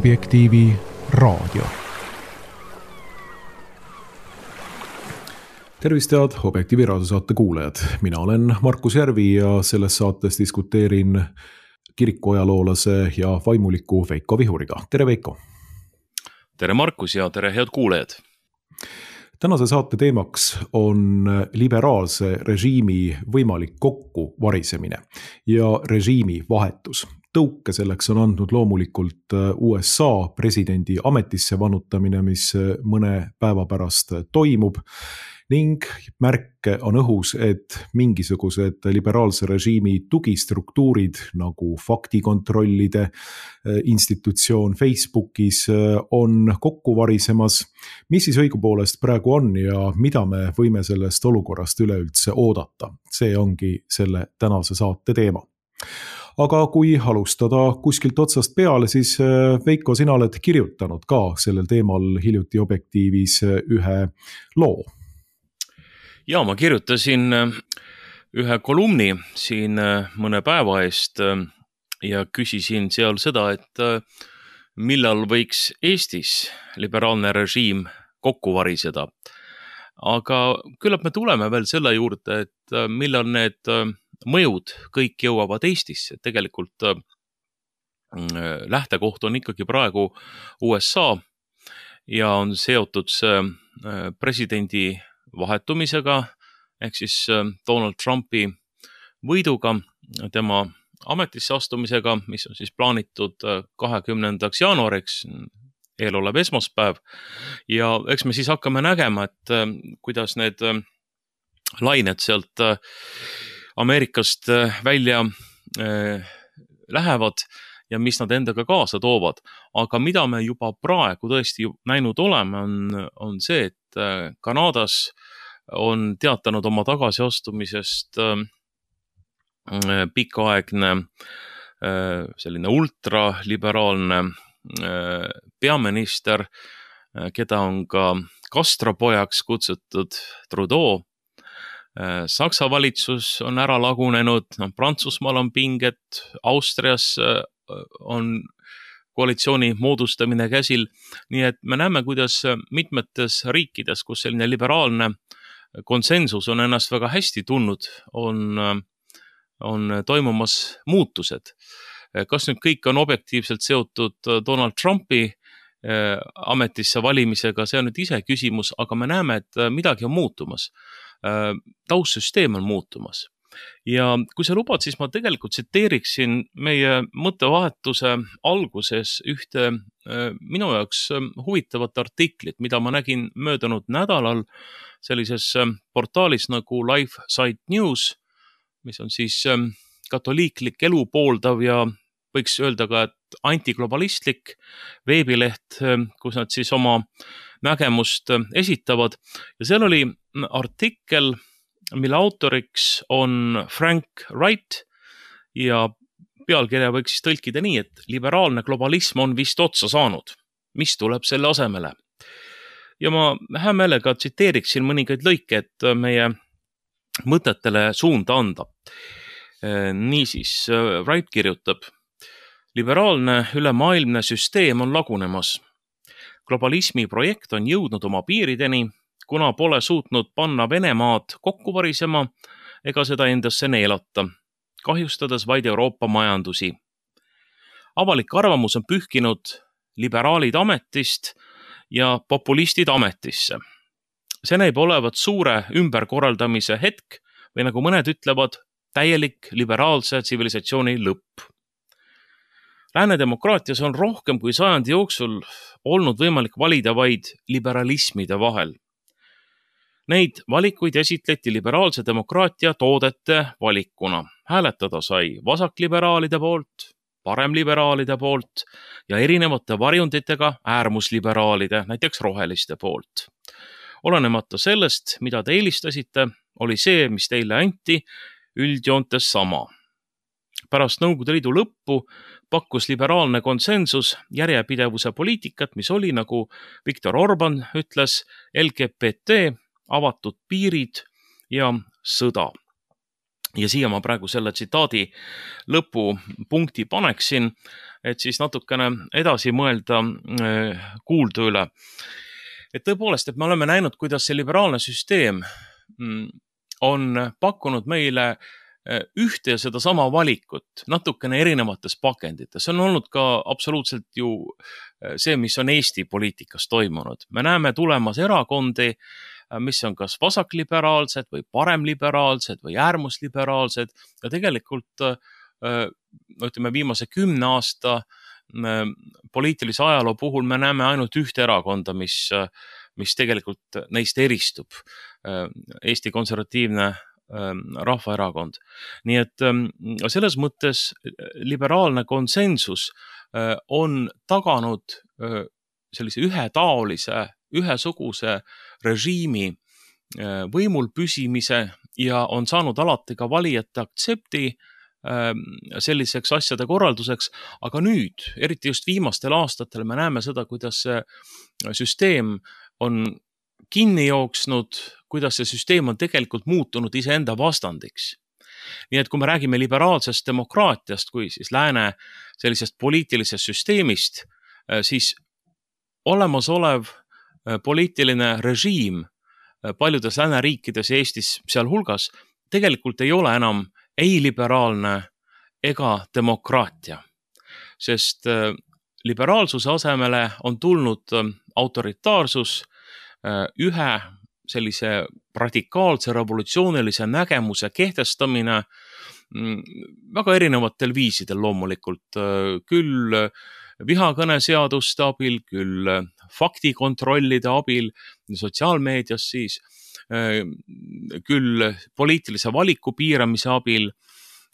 Objektiivi raadio. Tervist head Objektiivi raadiosaate kuulajad. Mina olen Markus Järvi ja selles saates diskuteerin kirikuajaloolase ja vaimuliku Veiko Vihuriga. Tere Veiko! Tere Markus ja tere head kuulajad! Tänase saate teemaks on liberaalse režiimi võimalik kokkuvarisemine ja režiimi vahetus. Tõuke selleks on andnud loomulikult USA presidendi ametisse vannutamine, mis mõne päeva pärast toimub, ning märke on õhus, et mingisugused liberaalse režiimi tugistruktuurid nagu faktikontrollide institutsioon Facebookis on kokku varisemas. Mis siis õigupoolest praegu on ja mida me võime sellest olukorrast üleüldse oodata? See ongi selle tänase saate teema. Aga kui alustada kuskilt otsast peale, siis Veiko, sina oled kirjutanud ka sellel teemal hiljuti Objektiivis ühe loo. Ja ma kirjutasin ühe kolumni siin mõne päeva eest ja küsisin seal seda, et millal võiks Eestis liberaalne režiim kokku variseda. Aga küllap me tuleme veel selle juurde, et millal need mõjud kõik jõuavad Eestisse. Tegelikult lähtekoht on ikkagi praegu USA ja on seotud presidendi vahetumisega, ehk siis Donald Trumpi võiduga, tema ametisse astumisega, mis on siis plaanitud 20. jaanuariks, eelolev esmaspäev. Ja eks me siis hakkame nägema, et kuidas need lained sealt Ameerikast välja lähevad ja mis nad endaga kaasa toovad. Aga mida me juba praegu tõesti näinud oleme, on see, et Kanadas on teatanud oma tagasiastumisest pikaaegne selline ultraliberaalne peaminister, keda on ka kastrapojaks kutsutud Trudeau. Saksa valitsus on ära lagunenud, Prantsusmaal on pinged, Austrias on koalitsiooni moodustamine käsil. Nii et me näeme, kuidas mitmetes riikides, kus selline liberaalne konsensus on ennast väga hästi tundnud, on toimumas muutused. Kas nüüd kõik on objektiivselt seotud Donald Trumpi ametisse valimisega, see on nüüd ise küsimus, aga me näeme, et midagi on muutumas. Taustsüsteem on muutumas. Ja kui sa lubad, siis ma tegelikult tsiteeriksin meie mõttevahetuse alguses ühte minu jaoks huvitavat artiklit, mida ma nägin möödunud nädalal sellises portaalis nagu LifeSite News, mis on siis katoliiklik elu pooldav ja võiks öelda ka, et antiglobalistlik veebileht, kus nad siis oma nägemust esitavad. Ja seal oli artikkel, mille autoriks on Frank Wright ja pealkirja võiks siis tõlkida nii, et liberaalne globalism on vist otsa saanud. Mis tuleb selle asemele? Ja ma hea meelega tsiteeriksin mõningaid lõike, et meie mõtetele suunda anda. Niisiis, Wright kirjutab: liberaalne ülemaailmne süsteem on lagunemas. Globalismi projekt on jõudnud oma piirideni, kuna pole suutnud panna Venemaad kokku varisema ega seda endasse neelata, kahjustades vaid Euroopa majandusi. Avalik arvamus on pühkinud liberaalid ametist ja populistid ametisse. See näib olevat suure ümberkorraldamise hetk või nagu mõned ütlevad, täielik liberaalse tsivilisatsiooni lõpp. Lääne demokraatias on rohkem kui sajandi jooksul olnud võimalik valida vaid liberalismide vahel. Neid valikuid esitleti liberaalse demokraatia toodete valikuna. Hääletada sai vasakliberaalide poolt, paremliberaalide poolt ja erinevate varjunditega äärmusliberaalide, näiteks roheliste poolt. Olenemata sellest, mida te eelistasite, oli see, mis teile anti, üldjoontes sama. Pärast Nõukogude Liidu lõppu pakkus liberaalne konsensus järjepidevuse poliitikat, mis oli, nagu Viktor Orban ütles, LGBT, avatud piirid ja sõda. ja siia ma praegu selle tsitaadi lõpupunkti paneksin, et siis natukene edasi mõelda kuuldu üle. Et tõepoolest, et me oleme näinud, kuidas see liberaalne süsteem on pakkunud meile ühte ja seda sama valikut natukene erinevates pakendites. See on olnud ka absoluutselt ju see, mis on Eesti poliitikas toimunud. Me näeme tulemas erakondi, mis on kas vasakliberaalsed või paremliberaalsed või äärmusliberaalsed ja tegelikult ütleme viimase 10 aasta poliitilise ajaloo puhul me näeme ainult ühte erakonda, mis tegelikult neist eristub. Eesti Konservatiivne Rahvaerakond. Nii et selles mõttes liberaalne konsensus on taganud sellise ühetaolise, ühesuguse režiimi võimul püsimise ja on saanud alati ka valijate aktsepti selliseks asjade korralduseks, aga nüüd, eriti just viimastel aastatel, me näeme seda, kuidas see süsteem on kinni jooksnud, kuidas see süsteem on tegelikult muutunud iseenda vastandiks. Nii et kui me räägime liberaalsest demokraatiast, kui siis lääne sellisest poliitilisest süsteemist, siis olemasolev poliitiline režiim paljudes lääneriikides ja Eestis sealhulgas tegelikult ei ole enam ei liberaalne ega demokraatia, sest liberaalsuse asemele on tulnud autoritaarsus, ühe sellise radikaalse revolutsioonilise nägemuse kehtestamine väga erinevatel viisidel loomulikult, küll vihakõneseaduste abil, küll faktikontrollide abil, sotsiaalmeedias siis, küll poliitilise valiku piiramise abil,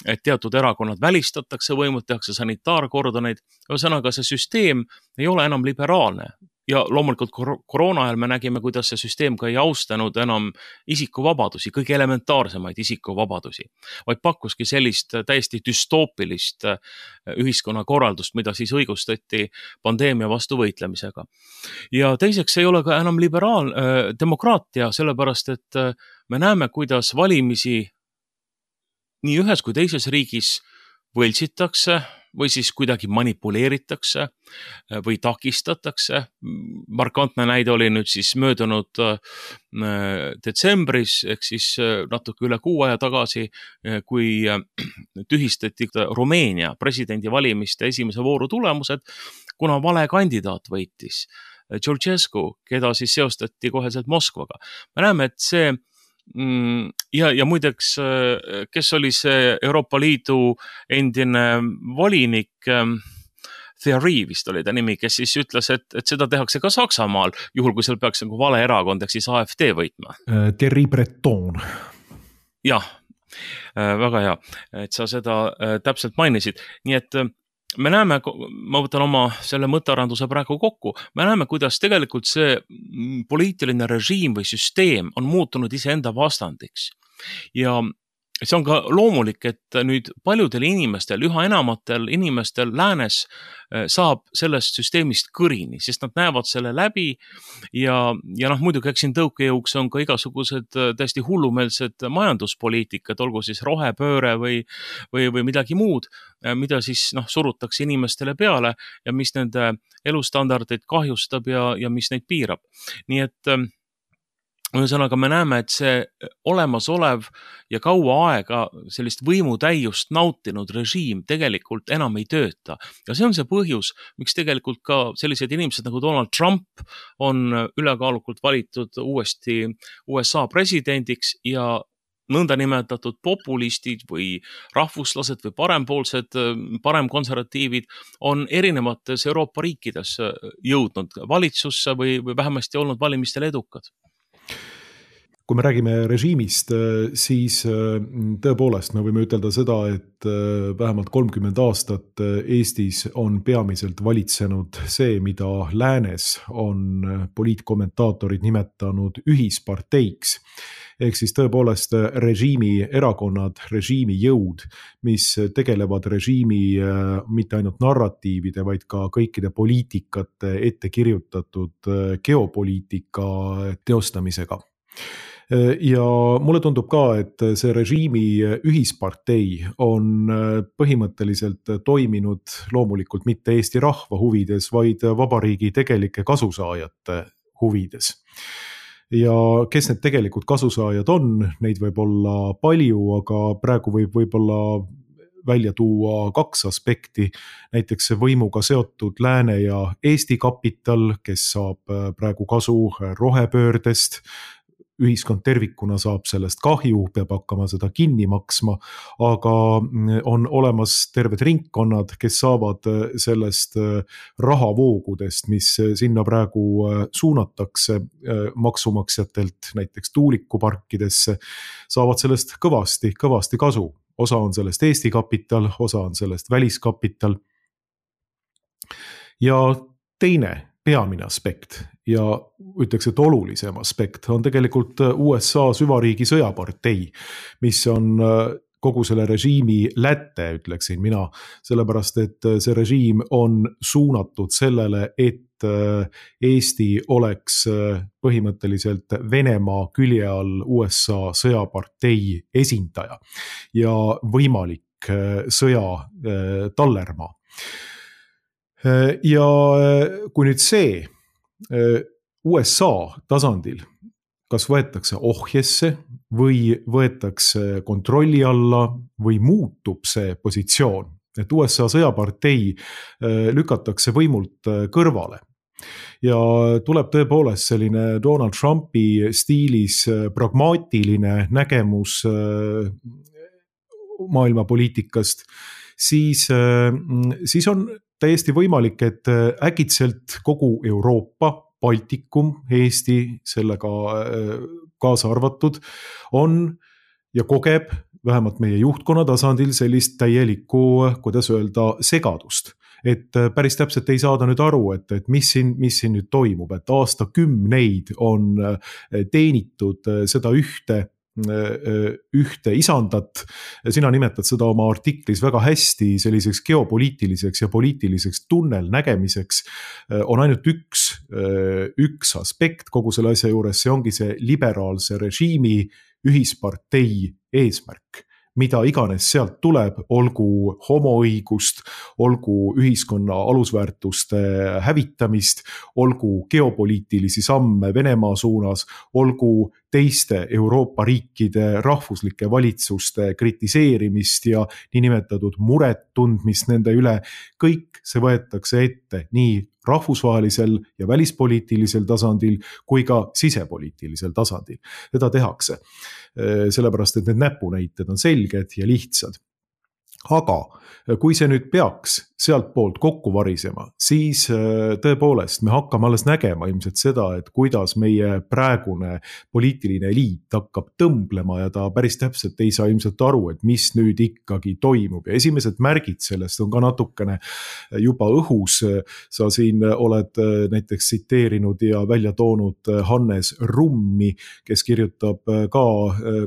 et teatud erakonnad välistatakse võimult, tehakse sanitaarkordoneid. Ühesõnaga, see süsteem ei ole enam liberaalne. Ja loomulikult koroona ajal me nägime, kuidas see süsteem ka ei austanud enam isikuvabadusi, kõige elementaarsemaid isikuvabadusi, vaid pakkuski sellist täiesti düstoopilist ühiskonnakorraldust, mida siis õigustati pandeemia vastu võitlemisega. Ja teiseks ei ole ka enam demokraatia, sellepärast et me näeme, kuidas valimisi nii ühes kui teises riigis võltsitakse või siis kuidagi manipuleeritakse või takistatakse. Markantne näide oli nüüd siis möödunud detsembris, ehk siis natuke üle 6 aja tagasi, kui tühistati Rumeenia presidendivalimiste esimese vooru tulemused, kuna vale kandidaat võitis, Georgescu, keda siis seostati koheselt Moskvaga. Me näeme, et see ja muideks, kes oli see Euroopa Liidu endine volinik, Thierry vist oli ta nimi, kes siis ütles, et seda tehakse ka Saksamaal, juhul kui seal peaks nagu vale erakond, ehk siis AfD võitma. Thierry Breton. Jah, väga hea, et sa seda täpselt mainisid. Nii et me näeme, ma võtan oma selle mõttearenduse praegu kokku, me näeme, kuidas tegelikult see poliitiline režiim või süsteem on muutunud iseenda vastandiks. Ja see on ka loomulik, et nüüd paljudel inimestel, üha enamatel inimestel läänes saab sellest süsteemist kõrini, sest nad näevad selle läbi ja muidugi eks siin tõukejõuks on ka igasugused täiesti hullumeelsed majanduspoliitikad, olgu siis rohepööre või midagi muud, mida siis surutakse inimestele peale ja mis nende elustandardeid kahjustab ja mis neid piirab. Nii et ühesõnaga me näeme, et see olemasolev ja kaua aega sellist võimutäiust nautinud režiim tegelikult enam ei tööta. Ja see on see põhjus, miks tegelikult ka sellised inimesed nagu Donald Trump on ülekaalukult valitud uuesti USA presidendiks ja nõndanimetatud populistid või rahvuslased või parempoolsed, paremkonservatiivid on erinevates Euroopa riikides jõudnud valitsusse või vähemasti olnud valimistel edukad. Kui me räägime režiimist, siis tõepoolest me võime ütelda seda, et vähemalt 30 aastat Eestis on peamiselt valitsenud see, mida läänes on poliitkommentaatorid nimetanud ühisparteiks. Ehk siis tõepoolest režiimi erakonnad, režiimi jõud, mis tegelevad režiimi mitte ainult narratiivide, vaid ka kõikide poliitikate ette kirjutatud geopoliitika teostamisega. Ja mulle tundub ka, et see režiimi ühispartei on põhimõtteliselt toiminud loomulikult mitte Eesti rahva huvides, vaid vabariigi tegelike kasusaajate huvides. Ja kes need tegelikult kasusaajad on, neid võib olla palju, aga praegu võib-olla välja tuua kaks aspekti, näiteks võimuga seotud Lääne ja Eesti kapital, kes saab praegu kasu rohepöördest, ühiskond tervikuna saab sellest kahju, peab hakkama seda kinni maksma, aga on olemas terved ringkonnad, kes saavad sellest rahavoogudest, mis sinna praegu suunatakse maksumaksjatelt näiteks tuulikuparkidesse, saavad sellest kõvasti kasu. Osa on sellest Eesti kapital, osa on sellest väliskapital. Ja teine peamine aspekt ja ütleks, et olulisem aspekt on tegelikult USA süvariigi sõjapartei, mis on kogu selle režiimi läte, ütleksin mina, sellepärast et see režiim on suunatud sellele, et Eesti oleks põhimõtteliselt Venemaa külje all USA sõjapartei esindaja ja võimalik sõja tallermaa. Ja kui nüüd see USA tasandil kas võetakse ohjesse või võetakse kontrolli alla või muutub see positsioon, et USA sõjapartei lükatakse võimult kõrvale ja tuleb tõepoolest selline Donald Trumpi stiilis pragmaatiline nägemus maailmapoliitikast, siis on täiesti võimalik, et äkitselt kogu Euroopa, Baltikum, Eesti sellega kaasa arvatud on ja kogeb vähemalt meie juhtkonna tasandil sellist täielikku, kuidas öelda, segadust. Et päris täpselt ei saada nüüd aru, et mis siin nüüd toimub, et aastakümneid on teenitud seda ühte isandat. Sina nimetad seda oma artiklis väga hästi selliseks geopoliitiliseks ja poliitiliseks tunnelnägemiseks. On ainult üks aspekt kogu selle asja juures, see ongi see liberaalse režiimi ühispartei eesmärk. Mida iganes sealt tuleb, olgu homoõigust, olgu ühiskonna alusväärtuste hävitamist, olgu geopoliitilisi samme Venemaa suunas, olgu teiste Euroopa riikide rahvuslike valitsuste kritiseerimist ja niinimetatud muret tundmist nende üle, kõik see võetakse ette nii rahvusvahelisel ja välispoliitilisel tasandil kui ka sisepoliitilisel tasandil. Seda tehakse, sellepärast et need näpunäited on selged ja lihtsad. Aga kui see nüüd peaks sealt poolt kokku varisema, siis tõepoolest me hakkame alles nägema ilmselt seda, et kuidas meie praegune poliitiline eliit hakkab tõmblema ja ta päris täpselt ei saa ilmselt aru, et mis nüüd ikkagi toimub. Ja esimesed märgid sellest on ka natukene juba õhus. Sa siin oled näiteks tsiteerinud ja välja toonud Hannes Rummi, kes kirjutab ka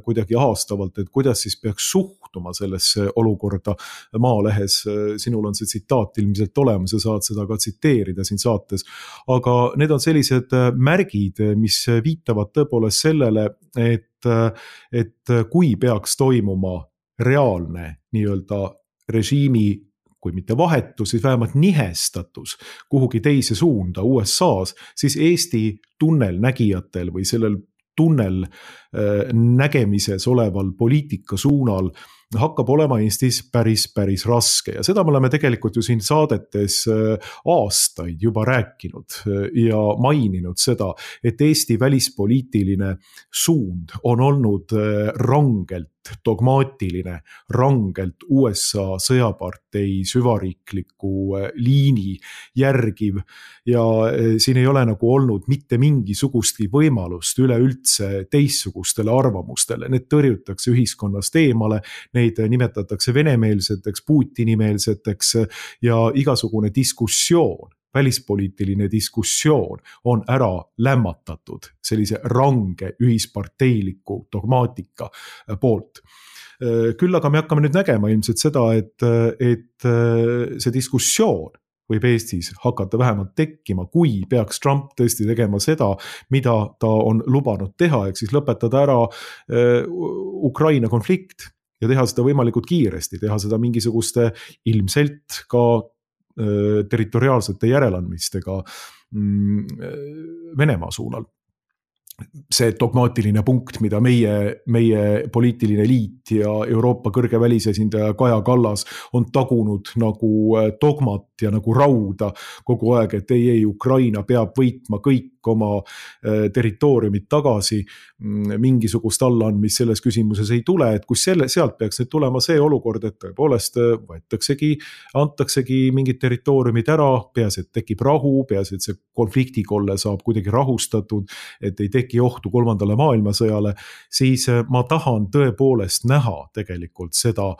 kuidagi haastavalt, et kuidas siis peaks suhtuma sellesse olukorda Maalehes. Sinul on see tsitaat ilmselt olemas ja saad seda ka tsiteerida siin saates. Aga need on sellised märgid, mis viitavad tõepoolest sellele, et kui peaks toimuma reaalne nii-öelda režiimi, kui mitte vahetus, siis vähemalt nihestatus kuhugi teise suunda USA's, siis Eesti tunnelnägijatel või sellel tunnel nägemises oleval poliitika suunal hakkab olema Eestis päris raske ja seda me oleme tegelikult ju siin saadetes aastaid juba rääkinud ja maininud seda, et Eesti välispoliitiline suund on olnud rangelt dogmaatiline, rangelt USA sõjapartei süvariikliku liini järgiv ja siin ei ole nagu olnud mitte mingisugustki võimalust üleüldse teistsugustele arvamustele. Need tõrjutakse ühiskonnast eemale, neid nimetatakse venemeelseteks, Putini-meelseteks ja igasugune diskussioon, välispoliitiline diskussioon on ära lämmatatud sellise range ühisparteiliku dogmaatika poolt. Küll aga me hakkame nüüd nägema ilmselt seda, et see diskussioon võib Eestis hakata vähemalt tekkima, kui peaks Trump tõesti tegema seda, mida ta on lubanud teha, ehk siis lõpetada ära Ukraina konflikt ja teha seda võimalikult kiiresti, teha seda mingisuguste ilmselt ka territoriaalsete järeleandmistega Venemaa suunal. See dogmaatiline punkt, mida meie poliitiline liit ja Euroopa kõrge välisesindaja Kaja Kallas on tagunud nagu dogmat ja nagu rauda kogu aeg, et ei, Ukraina peab võitma kõik oma territooriumid tagasi, mingisugust allaandmist selles küsimuses ei tule, et kus sealt peaks nüüd tulema see olukord, et tõepoolest antaksegi mingid territooriumid ära, peas, et tekib rahu, peas, et see konfliktikolle saab kuidagi rahustatud, et ei teki ohtu 3. maailmasõjale, siis ma tahan tõepoolest näha tegelikult seda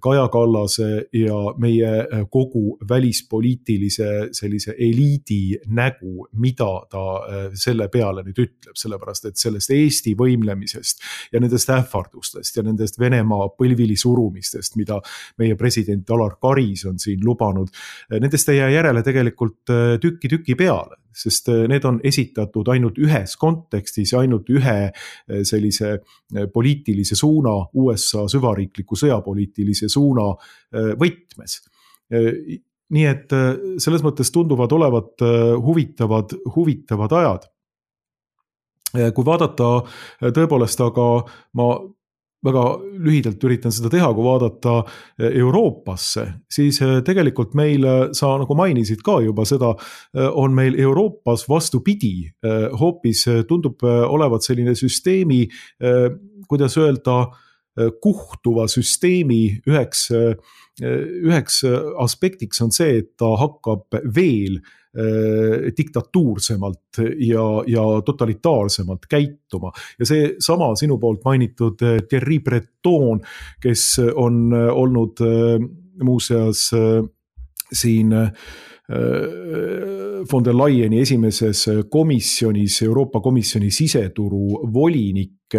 Kaja Kallase ja meie kogu välispoliitilise sellise eliidi nägu, mida ta selle peale nüüd ütleb, sellepärast et sellest Eesti võimlemisest ja nendest ähvardustest ja nendest Venemaa põlvili surumistest, mida meie president Alar Karis on siin lubanud, nendest ei jää järele tegelikult tüki peale, sest need on esitatud ainult ühes kontekstis, ainult ühe sellise poliitilise suuna, USA süvariikliku sõjapoliitilise suuna võtmes. Nii et selles mõttes tunduvad olevat huvitavad ajad. Kui vaadata tõepoolest, aga ma väga lühidalt üritan seda teha, kui vaadata Euroopasse, siis tegelikult meil, sa nagu mainisid ka juba seda, on meil Euroopas vastupidi, hoopis tundub olevat selline süsteemi, kuidas öelda, kuhtuva süsteemi üheks aspektiks on see, et ta hakkab veel diktatuursemalt ja totalitaarsemalt käituma. Ja see sama sinu poolt mainitud Thierry Breton, kes on olnud muuseas siin von der Leyeni esimeses komisjonis, Euroopa Komisjoni siseturu volinik,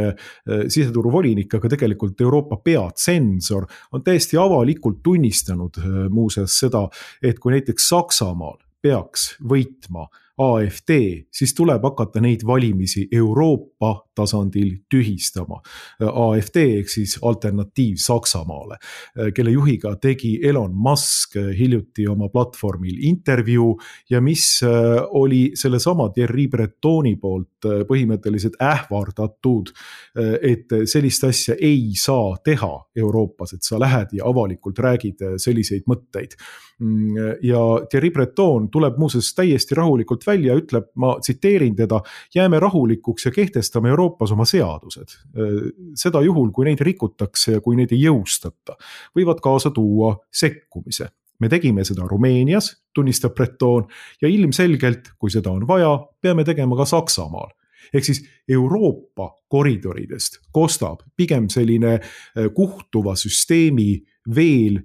aga tegelikult Euroopa peatsensor, on täiesti avalikult tunnistanud muuseas seda, et kui näiteks Saksamaal peaks võitma AfD, siis tuleb hakata neid valimisi Euroopa tasandil tühistama. AfD ehk siis alternatiiv Saksamaale, kelle juhiga tegi Elon Musk hiljuti oma platvormil intervjuu ja mis oli sellesama Thierry Bretoni poolt põhimõtteliselt ähvardatud, et sellist asja ei saa teha Euroopas, et sa lähed ja avalikult räägid selliseid mõtteid. Ja Thierry Breton tuleb muuseas täiesti rahulikult välja, ütleb, ma tsiteerin teda, jääme rahulikuks ja kehtestame Euroopas oma seadused. Seda juhul, kui neid rikutakse ja kui neid ei jõustata, võivad kaasa tuua sekkumise. Me tegime seda Rumeenias, tunnistab Breton, ja ilmselgelt, kui seda on vaja, peame tegema ka Saksamaal. Ehk siis Euroopa koridoridest kostab pigem selline kuhtuva süsteemi veel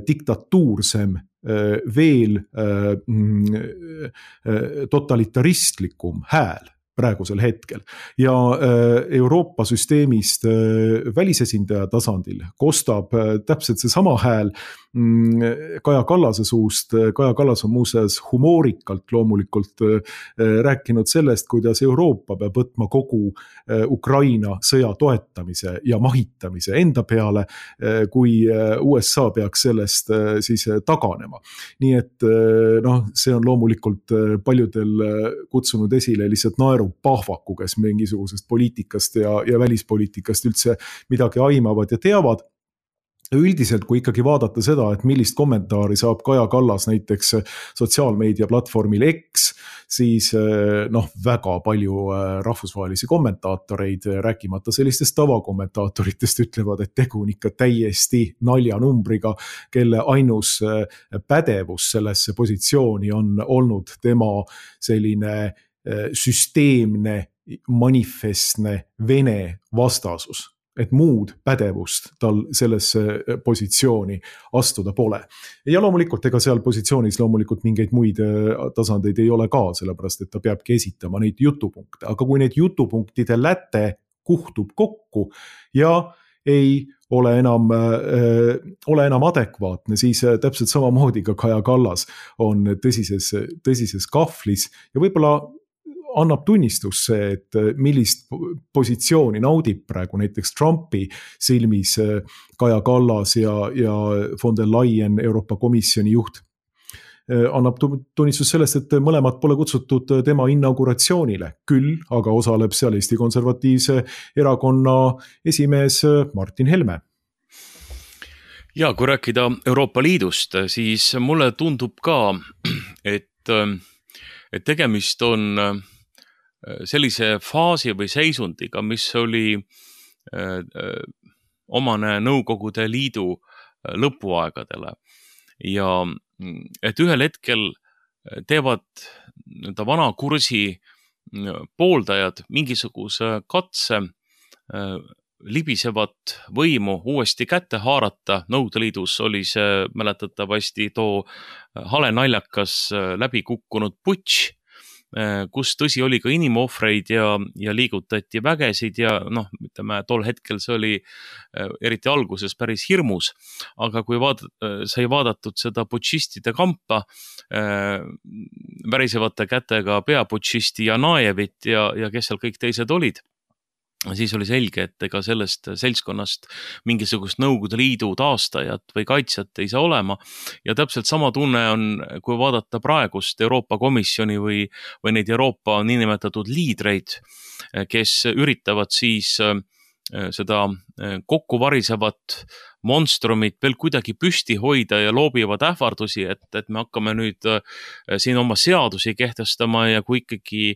diktatuursem, veel totalitaristlikum hääl praegusel hetkel. Ja Euroopa süsteemist välisesindaja tasandil kostab täpselt see sama hääl Kaja Kallase suust. Kaja Kallas on muuseas humoorikalt loomulikult rääkinud sellest, kuidas Euroopa peab võtma kogu Ukraina sõja toetamise ja mahitamise enda peale, kui USA peaks sellest siis taganema. Nii et see on loomulikult paljudel kutsunud esile lihtsalt naerupahvaku, kes mingisugusest poliitikast ja välispoliitikast üldse midagi aimavad ja teavad. Üldiselt, kui ikkagi vaadata seda, et millist kommentaari saab Kaja Kallas näiteks sotsiaalmeedia platvormil X, siis väga palju rahvusvahelisi kommentaatoreid, rääkimata sellistest tavakommentaatoritest, ütlevad, et tegu on ikka täiesti naljanumbriga, kelle ainus pädevus sellesse positsiooni on olnud tema selline süsteemne, manifestne Vene vastasus. Et muud pädevust tal sellesse positsiooni astuda pole. Ja loomulikult, ega seal positsioonis loomulikult mingeid muid tasandeid ei ole ka, sellepärast et ta peabki esitama neid jutupunkte. Aga kui neid jutupunktide läte kuhtub kokku ja ei ole enam adekvaatne, siis täpselt samamoodi ka Kaja Kallas on tõsises kahvlis ja võib-olla annab tunnistus see, et millist positsiooni naudib praegu näiteks Trumpi silmis Kaja Kallas ja von der Leyen, Euroopa Komisjoni juht. Annab tunnistus sellest, et mõlemad pole kutsutud tema inauguratsioonile, küll aga osaleb seal Eesti Konservatiivse Erakonna esimees Martin Helme. Ja kui rääkida Euroopa Liidust, siis mulle tundub ka, et tegemist on sellise faasi või seisundiga, mis oli omane Nõukogude Liidu lõpuaegadele ja et ühel hetkel teevad vana kursi pooldajad mingisuguse katse libisevat võimu uuesti kätte haarata. Nõukogude Liidus oli see mäletatavasti too hale naljakas läbi kukkunud putš, kus tõsi oli ka inimohvreid ja liigutati vägesid ja tol hetkel see oli eriti alguses päris hirmus, aga kui sai vaadatud seda putšistide kampa, värisevate kätega peaputšisti Janajevit ja kes seal kõik teised olid, siis oli selge, et ega sellest seltskonnast mingisugust Nõukogude Liidu taastajat või kaitsjat ei saa olema. Ja täpselt sama tunne on, kui vaadata praegust Euroopa Komisjoni või neid Euroopa niinimetatud liidreid, kes üritavad siis seda kokkuvarisevat monstrumit veel kuidagi püsti hoida ja loobivad ähvardusi, et me hakkame nüüd siin oma seadusi kehtestama ja kui ikkagi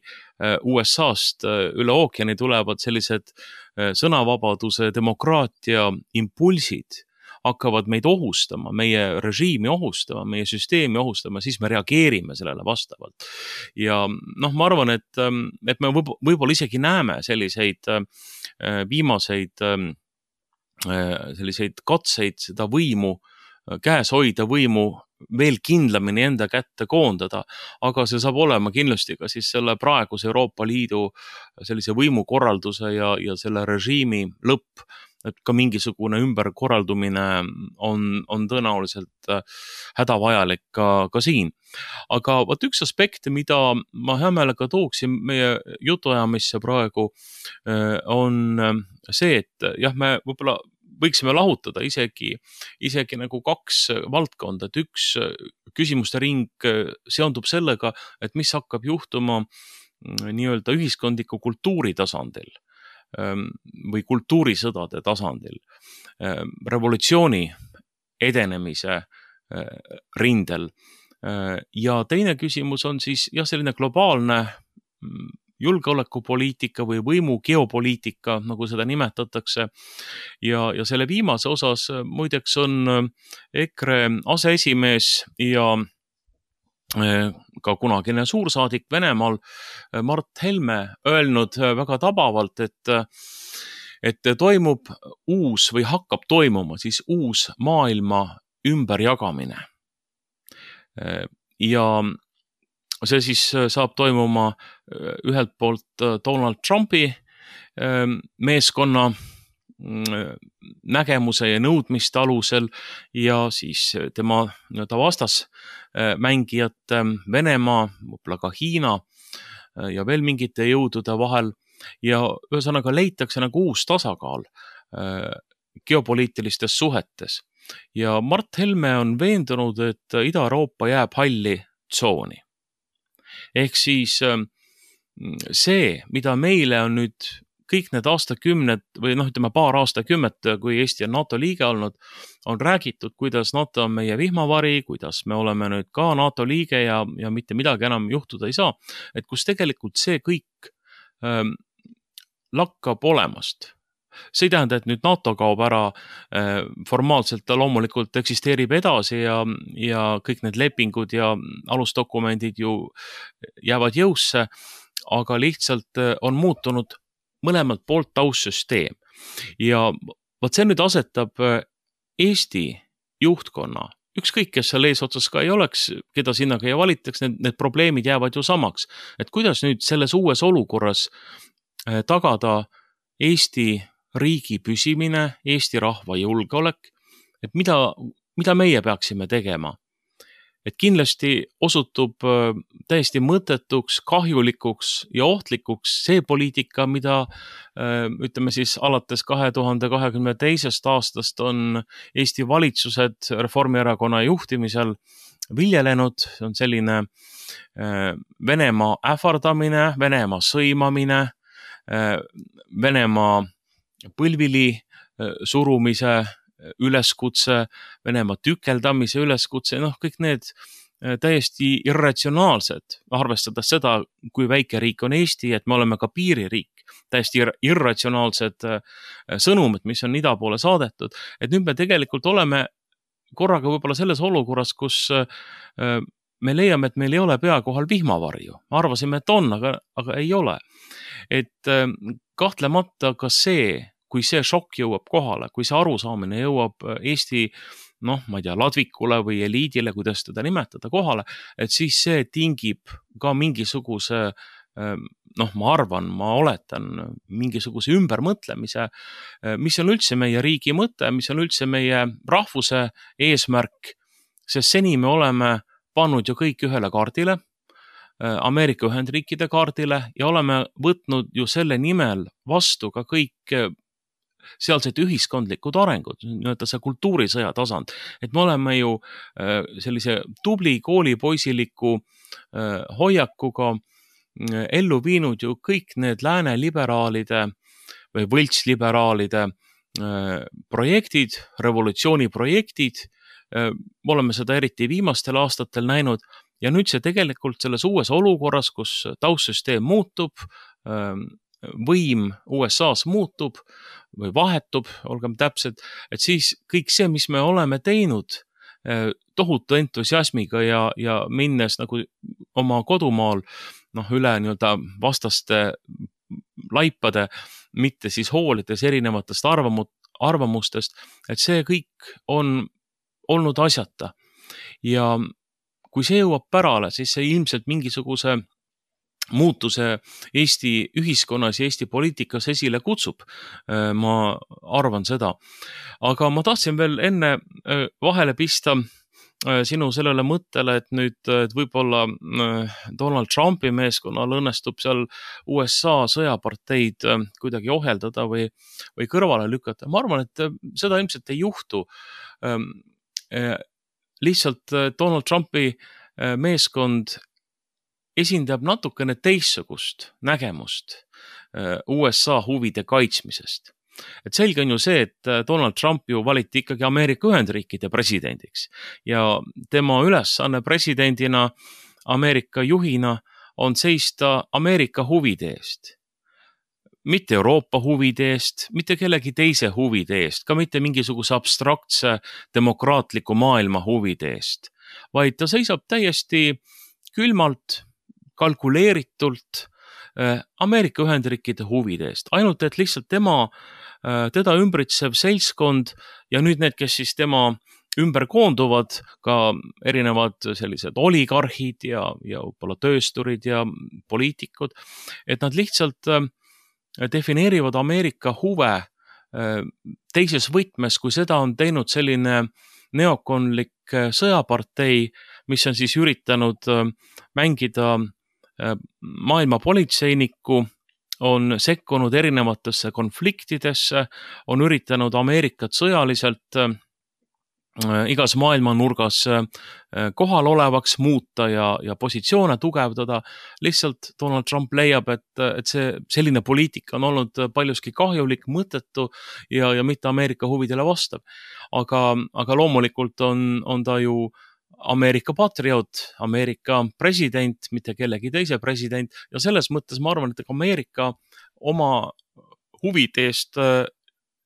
USA-st üle ookeani tulevad sellised sõnavabaduse, demokraatia impulsid, hakkavad meid ohustama, meie režiimi ohustama, meie süsteemi ohustama, siis me reageerime sellele vastavalt. Ja ma arvan, et me võib-olla isegi näeme selliseid viimaseid selliseid katseid seda võimu, käes hoida võimu veel kindlamini enda kätte koondada, aga see saab olema kindlasti ka siis selle praeguse Euroopa Liidu sellise võimukorralduse ja selle režiimi lõpp, et ka mingisugune ümberkorraldumine on tõenäoliselt hädavajalik ka siin. Aga võt üks aspekt, mida ma hea meelega tooksin meie jutuajamisse praegu, on see, et jah, me võib-olla võiksime lahutada isegi nagu kaks valdkonda, et üks küsimuste ring seondub sellega, et mis hakkab juhtuma nii-öelda ühiskondliku kultuuri tasandil või kultuurisõdade tasandil, revolutsiooni edenemise rindel. Ja teine küsimus on siis selline globaalne julgeolekupoliitika või võimu geopoliitika, nagu seda nimetatakse. Ja selle viimase osas muideks on EKRE aseesimees ja ka kunagine suursaadik Venemaal Mart Helme öelnud väga tabavalt, et toimub uus või hakkab toimuma siis uus maailma ümberjagamine. Ja see siis saab toimuma ühelt poolt Donald Trumpi meeskonna nägemuse ja nõudmiste alusel ja siis tema vastasmängijate Venemaa, võib-olla ka Hiina ja veel mingite jõudude vahel ja ühesõnaga leitakse nagu uus tasakaal geopoliitilistes suhetes. Ja Mart Helme on veendunud, et Ida-Euroopa jääb halli tsooni. Ehk siis see, mida meile on nüüd kõik need aastakümned või ütleme paar aastakümmet, kui Eesti on NATO liige olnud, on räägitud, kuidas NATO on meie vihmavari, kuidas me oleme nüüd ka NATO liige ja mitte midagi enam juhtuda ei saa. Et kus tegelikult see kõik lakkab olemast. See ei tähenda, et nüüd NATO kaob ära, formaalselt ta loomulikult eksisteerib edasi ja kõik need lepingud ja alusdokumendid ju jäävad jõusse, aga lihtsalt on muutunud mõlemalt poolt taustsüsteem. Ja võt see nüüd asetab Eesti juhtkonna, ükskõik kes seal eesotsas ka ei oleks, keda sinna ka ei valitaks, need probleemid jäävad ju samaks. Et kuidas nüüd selles uues olukorras tagada Eesti riigi püsimine, Eesti rahva julgeolek, et mida meie peaksime tegema. Et kindlasti osutub täiesti mõttetuks, kahjulikuks ja ohtlikuks see poliitika, mida ütleme siis alates 2022. aastast on Eesti valitsused Reformierakonna juhtimisel viljelenud. See on selline Venemaa ähvardamine, Venemaa sõimamine, Venemaa põlvili surumise üleskutse, Venemaa tükeldamise üleskutse, kõik need täiesti irratsionaalsed, arvestades seda, kui väike riik on Eesti, et me oleme ka piiririik, täiesti irratsionaalsed sõnumid, mis on ida poole saadetud. Et nüüd me tegelikult oleme korraga võib-olla selles olukorras, kus me leiame, et meil ei ole pea kohal vihmavarju. Arvasime, et on, aga ei ole. Et kahtlemata ka see, kui see šokk jõuab kohale, kui see arusaamine jõuab Eesti, ma ei tea, ladvikule või eliidile, kuidas teda nimetada kohale, et siis see tingib ka mingisuguse, ma oletan, mingisuguse ümbermõtlemise, mis on üldse meie riigi mõte, mis on üldse meie rahvuse eesmärk, sest seni me oleme pannud ju kõik ühele kaardile, Ameerika Ühendriikide kaardile ja oleme võtnud ju selle nimel vastu ka kõik sealsed ühiskondlikud arengud, see kultuurisõja tasand, et me oleme ju sellise tubli koolipoisiliku hoiakuga ellu viinud ju kõik need lääne liberaalide või võltsliberaalide projektid, revolutsiooniprojektid, me oleme seda eriti viimastel aastatel näinud ja nüüd see tegelikult selles uues olukorras, kus taustsüsteem muutub, võim USA-s muutub või vahetub, olgem täpsed, et siis kõik see, mis me oleme teinud tohutu entusiasmiga ja minnes nagu oma kodumaal üle nii-öelda vastaste laipade, mitte siis hoolides erinevatest arvamustest, et see kõik on olnud asjata. Ja kui see jõuab pärale, siis see ilmselt mingisuguse muutuse Eesti ühiskonnas ja Eesti poliitikas esile kutsub. Ma arvan seda. Aga ma tahtsin veel enne vahele pista sinu sellele mõttele, et nüüd võib-olla Donald Trumpi meeskonnal õnnestub seal USA sõjaparteid kuidagi ohjeldada või kõrvale lükata. Ma arvan, et seda ilmselt ei juhtu. Lihtsalt Donald Trumpi meeskond esindab natukene teissugust nägemust USA huvide kaitsmisest. Et selge on ju see, et Donald Trump ju valiti ikkagi Ameerika Ühendriikide presidendiks ja tema ülesanne presidendina, Ameerika juhina on seista Ameerika huvide eest. Mitte Euroopa huvide eest, mitte kellegi teise huvide eest, ka mitte mingisuguse abstraktse demokraatliku maailma huvide eest, vaid ta seisab täiesti külmalt, kalkuleeritult Ameerika Ühendriikide huvide eest. Ainult, et lihtsalt teda ümbritsev seltskond ja nüüd need, kes siis tema ümber koonduvad, ka erinevad sellised oligarhid ja võib-olla töösturid ja poliitikud, et nad lihtsalt defineerivad Ameerika huve teises võtmes, kui seda on teinud selline neokonlik sõjapartei, mis on siis üritanud mängida maailma politseinikku, on sekkunud erinevatesse konfliktidesse, on üritanud Ameerikat sõjaliselt igas maailma nurgas kohal olevaks muuta ja positsioone tugevdada. Lihtsalt Donald Trump leiab, et selline poliitika on olnud paljuski kahjulik, mõttetu ja mitte Ameerika huvidele vastav. Aga loomulikult on ta ju Ameerika patrioot, Ameerika president, mitte kellegi teise president ja selles mõttes ma arvan, et Ameerika oma huvide eest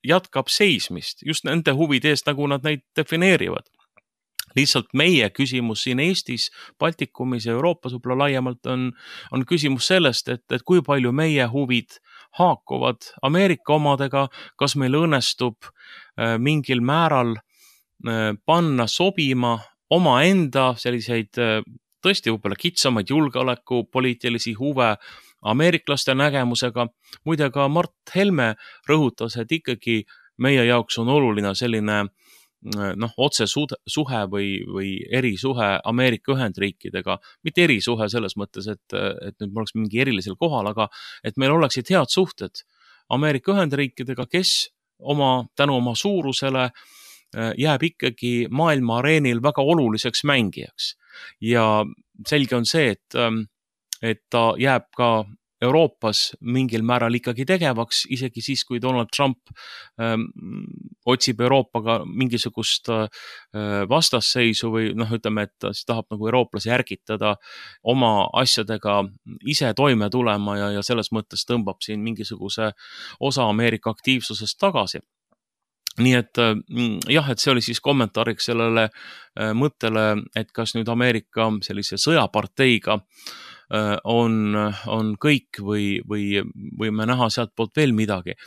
jätkab seismist, just nende huvide eest, nagu nad neid defineerivad. Lihtsalt meie küsimus siin Eestis, Baltikumis ja Euroopas võib-olla laiemalt on küsimus sellest, et kui palju meie huvid haakuvad Ameerika omadega, kas meil õnnestub mingil määral panna sobima omaenda selliseid tõesti võib-olla kitsamaid julgeolekupoliitilisi huve ameeriklaste nägemusega. Muide ka Mart Helme rõhutas, et ikkagi meie jaoks on oluline selline otsesuhe või erisuhe Ameerika Ühendriikidega. Mitte erisuhe selles mõttes, et nüüd me oleks mingi erilisel kohal, aga et meil oleksid head suhted Ameerika Ühendriikidega, kes tänu oma suurusele jääb ikkagi maailma areenil väga oluliseks mängijaks. Ja selge on see, et ta jääb ka Euroopas mingil määral ikkagi tegevaks, isegi siis, kui Donald Trump otsib Euroopaga mingisugust vastasseisu või ütleme, et ta siis tahab nagu eurooplasi ärgitada oma asjadega ise toime tulema ja selles mõttes tõmbab siin mingisuguse osa Ameerika aktiivsusest tagasi. Nii et jah, et see oli siis kommentaariks sellele mõttele, et kas nüüd Ameerika sellise sõjaparteiga on kõik või me näha sealt poolt veel midagi.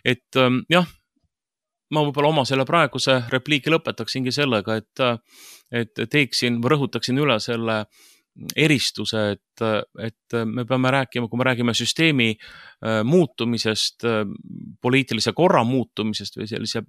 Et jah, ma võib-olla oma selle praeguse repliigi lõpetaksingi sellega, et rõhutaksin üle selle eristuse, et me peame rääkima, kui me räägime süsteemi muutumisest, poliitilise korra muutumisest või sellise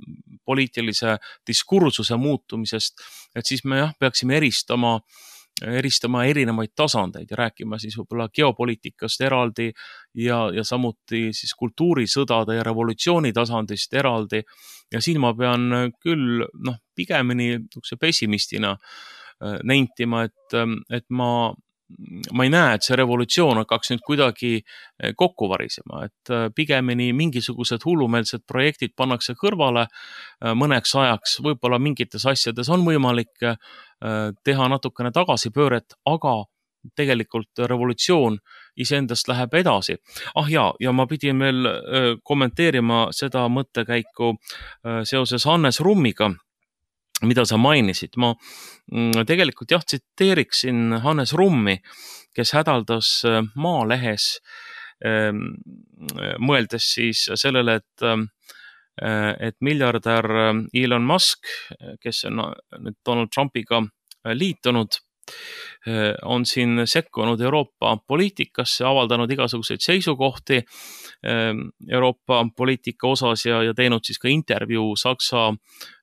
poliitilise diskursuse muutumisest, et siis me peaksime eristama erinevaid tasandeid ja rääkima siis võib-olla geopoliitikast eraldi ja samuti siis kultuurisõdade ja revolutsiooni tasandist eraldi. Ja siin ma pean küll pigemini pessimistina nentima, et ma ei näe, et see revolutsioon hakkaks nüüd kuidagi kokku varisema, et pigemini mingisugused hullumeelsed projektid pannakse kõrvale mõneks ajaks, võib-olla mingites asjades on võimalik teha natukene tagasipööret, aga tegelikult revolutsioon iseendast läheb edasi. Ja ma pidin veel kommenteerima seda mõttekäiku seoses Hannes Rummiga, mida sa mainisid. Ma tegelikult tsiteeriksin Hannes Rummi, kes hädaldas Maalehes, mõeldes siis sellele, et miljardär Elon Musk, kes on nüüd Donald Trumpiga liitunud, on siin sekkunud Euroopa poliitikasse, avaldanud igasuguseid seisukohti Euroopa poliitika osas ja teinud siis ka intervjuu Saksa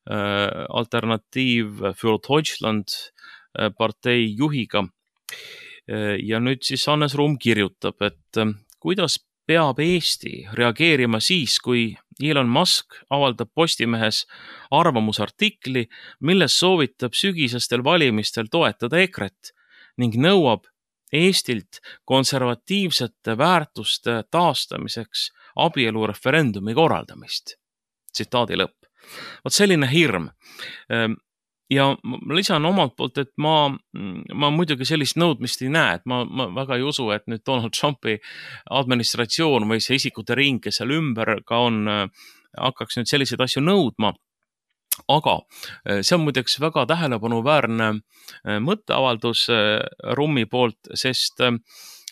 Alternatiiv für Deutschland partei juhiga. Ja nüüd siis Hannes Rumm kirjutab, et kuidas peab Eesti reageerima siis, kui Elon Musk avaldab Postimehes arvamusartikli, milles soovitab sügisestel valimistel toetada EKRE-t ning nõuab Eestilt konservatiivsete väärtuste taastamiseks abielureferendumi korraldamist. Tsitaadi lõpp. Vot selline hirm. Ja ma lisan omalt poolt, et ma muidugi sellist nõudmist ei näe, et ma väga ei usu, et nüüd Donald Trumpi administratsioon või see isikute ring, kes seal ümber ka on, hakkaks nüüd selliseid asju nõudma. Aga see on muideks väga tähelepanuväärne mõtteavaldus Rummi poolt, sest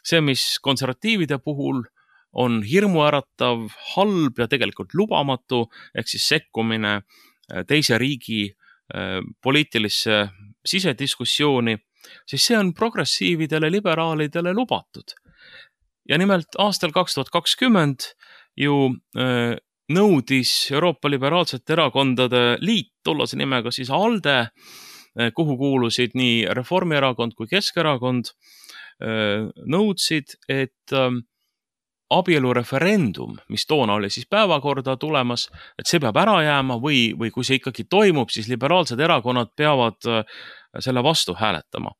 see, mis konservatiivide puhul on hirmuäratav, halb ja tegelikult lubamatu, ehk siis sekkumine teise riigi poliitilisse sisediskussiooni, siis see on progressiividele, liberaalidele lubatud. Ja nimelt aastal 2020 ju nõudis Euroopa Liberaalsete Erakondade Liit, tollase nimega siis ALDE, kuhu kuulusid nii Reformierakond kui Keskerakond, nõudsid, et abielureferendum, mis toona oli siis päevakorda tulemas, et see peab ära jääma või kui see ikkagi toimub, siis liberaalsed erakonnad peavad selle vastu hääletama.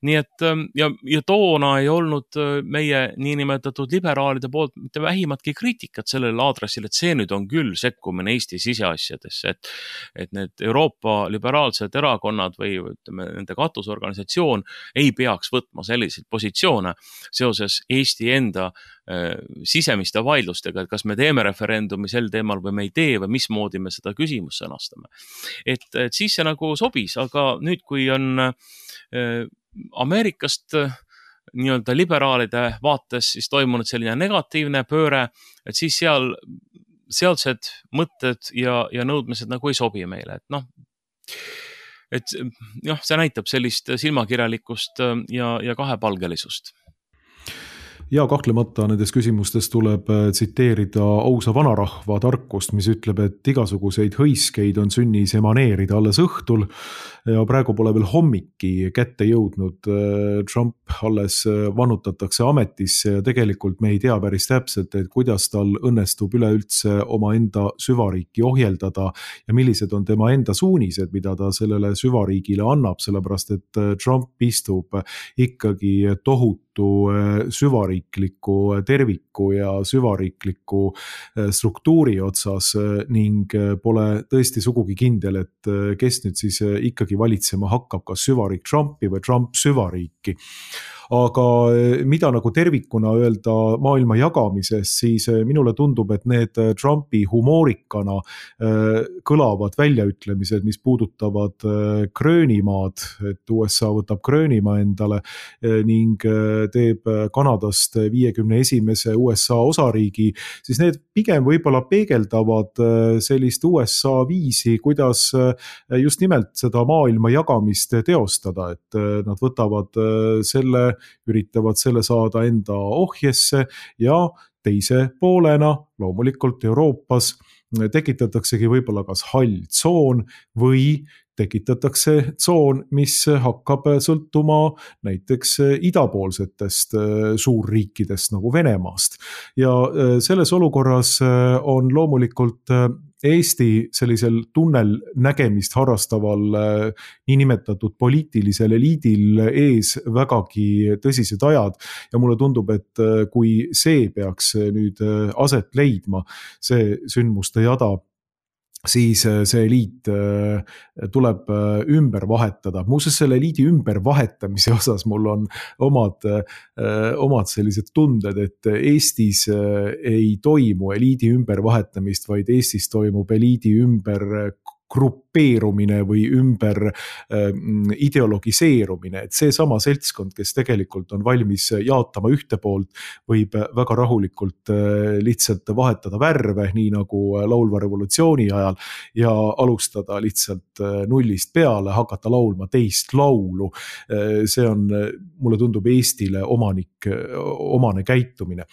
Nii et ja toona ei olnud meie niinimetatud liberaalide poolt mitte vähimatki kriitikat sellele aadressil, et see nüüd on küll sekkumine Eesti siseasjadesse, et need Euroopa liberaalsed erakonnad või ütleme, nende katusorganisatsioon ei peaks võtma selliseid positsioone seoses Eesti enda sisemiste vaidlustega, et kas me teeme referendumi sel teemal või me ei tee või mismoodi me seda küsimust sõnastame. Et siis see nagu sobis, aga nüüd, kui on Ameerikast nii-öelda liberaalide vaates siis toimunud selline negatiivne pööre, et siis sealsed mõtted ja nõudmised nagu ei sobi meile, et see näitab sellist silmakirjalikkust ja kahepalgelisust. Ja kahtlemata nendes küsimustes tuleb tsiteerida ausa vanarahva tarkust, mis ütleb, et igasuguseid hõiskeid on sünnis emaneerida alles õhtul ja praegu pole veel hommiki kätte jõudnud. Trump alles vannutatakse ametisse ja tegelikult me ei tea päris täpselt, et kuidas tal õnnestub üleüldse omaenda süvariiki ohjeldada ja millised on tema enda suunised, mida ta sellele süvariigile annab, sellepärast et Trump istub ikkagi tohutu süvariikliku terviku ja süvariikliku struktuuri otsas ning pole tõesti sugugi kindel, et kes nüüd siis ikkagi valitsema hakkab, kas süvariik Trumpi või Trump süvariiki. Aga mida nagu tervikuna öelda maailma jagamisest, siis minule tundub, et need Trumpi humoorikana kõlavad väljaütlemised, mis puudutavad Gröönimaad, et USA võtab Gröönimaa endale ning teeb Kanadast 51. USA osariigi, siis need pigem võib-olla peegeldavad sellist USA viisi, kuidas just nimelt seda maailma jagamist teostada, et nad võtavad üritavad selle saada enda ohjesse ja teise poolena loomulikult Euroopas tekitataksegi võib-olla kas hall tsoon või tekitatakse tsoon, mis hakkab sõltuma näiteks idapoolsetest suurriikidest nagu Venemaast. Ja selles olukorras on loomulikult Eesti sellisel tunnel nägemist harrastaval niinimetatud poliitilisel eliidil ees vägagi tõsised ajad ja mulle tundub, et kui see peaks nüüd aset leidma, see sündmuste jada, siis see eliit tuleb ümber vahetada. Muuseas selle eliidi ümber vahetamise osas mul on omad sellised tunded, et Eestis ei toimu eliidi ümber vahetamist, vaid Eestis toimub eliidi ümber grupeerumine või ümber ideologiseerumine, et see sama seltskond, kes tegelikult on valmis jaatama ühte poolt, võib väga rahulikult lihtsalt vahetada värve, nii nagu laulva revolutsiooni ajal ja alustada lihtsalt nullist peale, hakata laulma teist laulu. See on, mulle tundub, Eestile omane käitumine.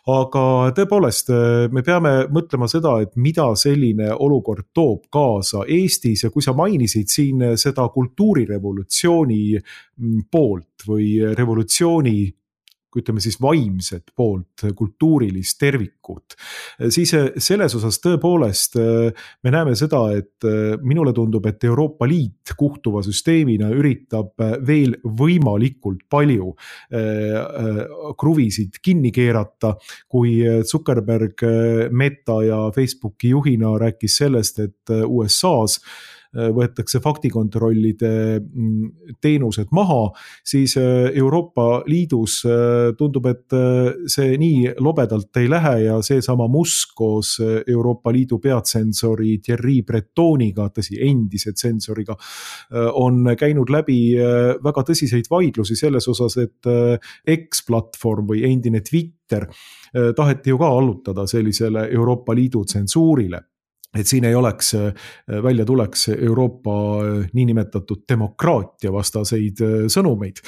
Aga tõepoolest, me peame mõtlema seda, et mida selline olukord toob kaasa Eestis ja kui sa mainisid siin seda kultuurirevolutsiooni poolt või revolutsiooni, ütleme siis vaimset poolt, kultuurilist tervikut, siis selles osas tõepoolest me näeme seda, et minule tundub, et Euroopa Liit kuhtuva süsteemina üritab veel võimalikult palju kruvisid kinni keerata, kui Zuckerberg Meta ja Facebooki juhina rääkis sellest, et USA's võetakse faktikontrollide teenused maha, siis Euroopa Liidus tundub, et see nii lobedalt ei lähe ja seesama Musk koos Euroopa Liidu peatsensori Thierry Bretoniga, tõsi, endise tsensoriga, on käinud läbi väga tõsiseid vaidlusi selles osas, et X-platvorm või endine Twitter taheti ju ka allutada sellisele Euroopa Liidu tsensuurile. Et siin ei oleks, välja tuleks Euroopa niinimetatud demokraatia vastaseid sõnumeid.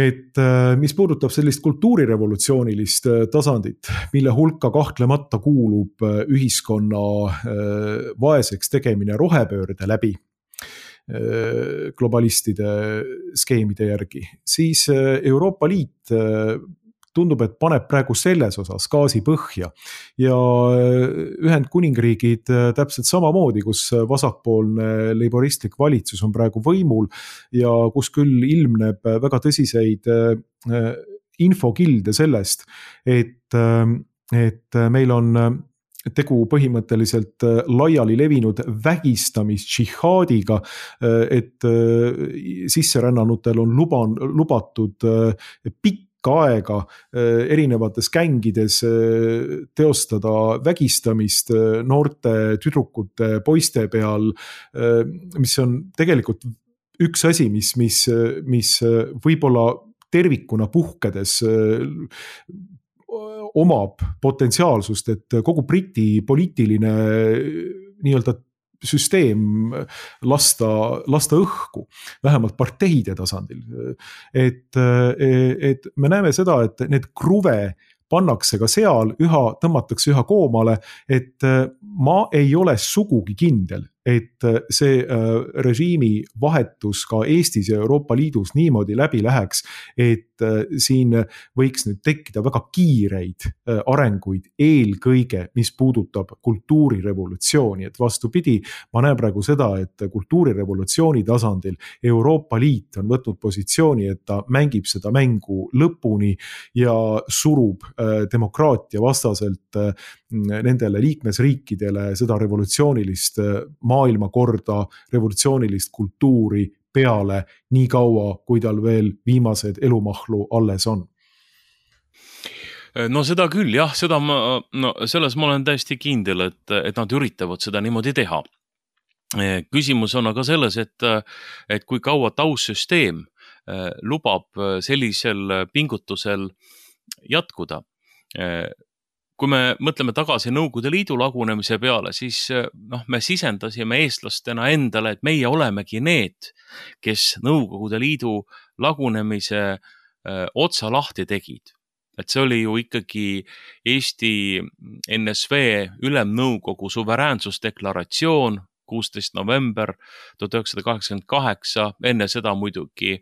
Et mis puudutab sellist kultuurirevolutsioonilist tasandit, mille hulka kahtlemata kuulub ühiskonna vaeseks tegemine rohepöörde läbi globalistide skeemide järgi, siis Euroopa Liit tundub, et paneb praegu selles osas gaasi põhja ja Ühendkuningriigid täpselt samamoodi, kus vasakpoolne leiboristlik valitsus on praegu võimul ja kus küll ilmneb väga tõsiseid infokilde sellest, et meil on tegu põhimõtteliselt laiali levinud vägistamisdžihaadiga, et sisserännanutel on lubatud pikk aega erinevates gängides teostada vägistamist noorte tüdrukute, poiste peal, mis on tegelikult üks asi, mis võib-olla tervikuna puhkedes omab potentsiaalsust, et kogu Briti poliitiline nii-öelda süsteem lasta õhku, vähemalt parteide tasandil. Et me näeme seda, et need kruve pannakse ka seal, tõmmatakse üha koomale, et ma ei ole sugugi kindel, et see režiimi vahetus ka Eestis ja Euroopa Liidus niimoodi läbi läheks, et siin võiks nüüd tekkida väga kiireid arenguid, eelkõige, mis puudutab kultuurirevolutsiooni, et vastupidi, ma näen praegu seda, et kultuurirevolutsiooni tasandil Euroopa Liit on võtnud positsiooni, et ta mängib seda mängu lõpuni ja surub demokraatia vastaselt nendele liikmesriikidele seda revolutsioonilist maailmakorda, revolutsioonilist kultuuri peale nii kaua, kui tal veel viimased elumahlu alles on. No seda küll, jah, selles ma olen täiesti kindel, et nad üritavad seda niimoodi teha. Küsimus on aga selles, et kui kaua taustsüsteem lubab sellisel pingutusel jätkuda. Kui me mõtleme tagasi Nõukogude Liidu lagunemise peale, siis me sisendasime eestlastena endale, et meie olemegi need, kes Nõukogude Liidu lagunemise otsa lahti tegid. Et see oli ju ikkagi Eesti NSV Ülemnõukogu suveräänsusdeklaratsioon 16. november 1988, enne seda muidugi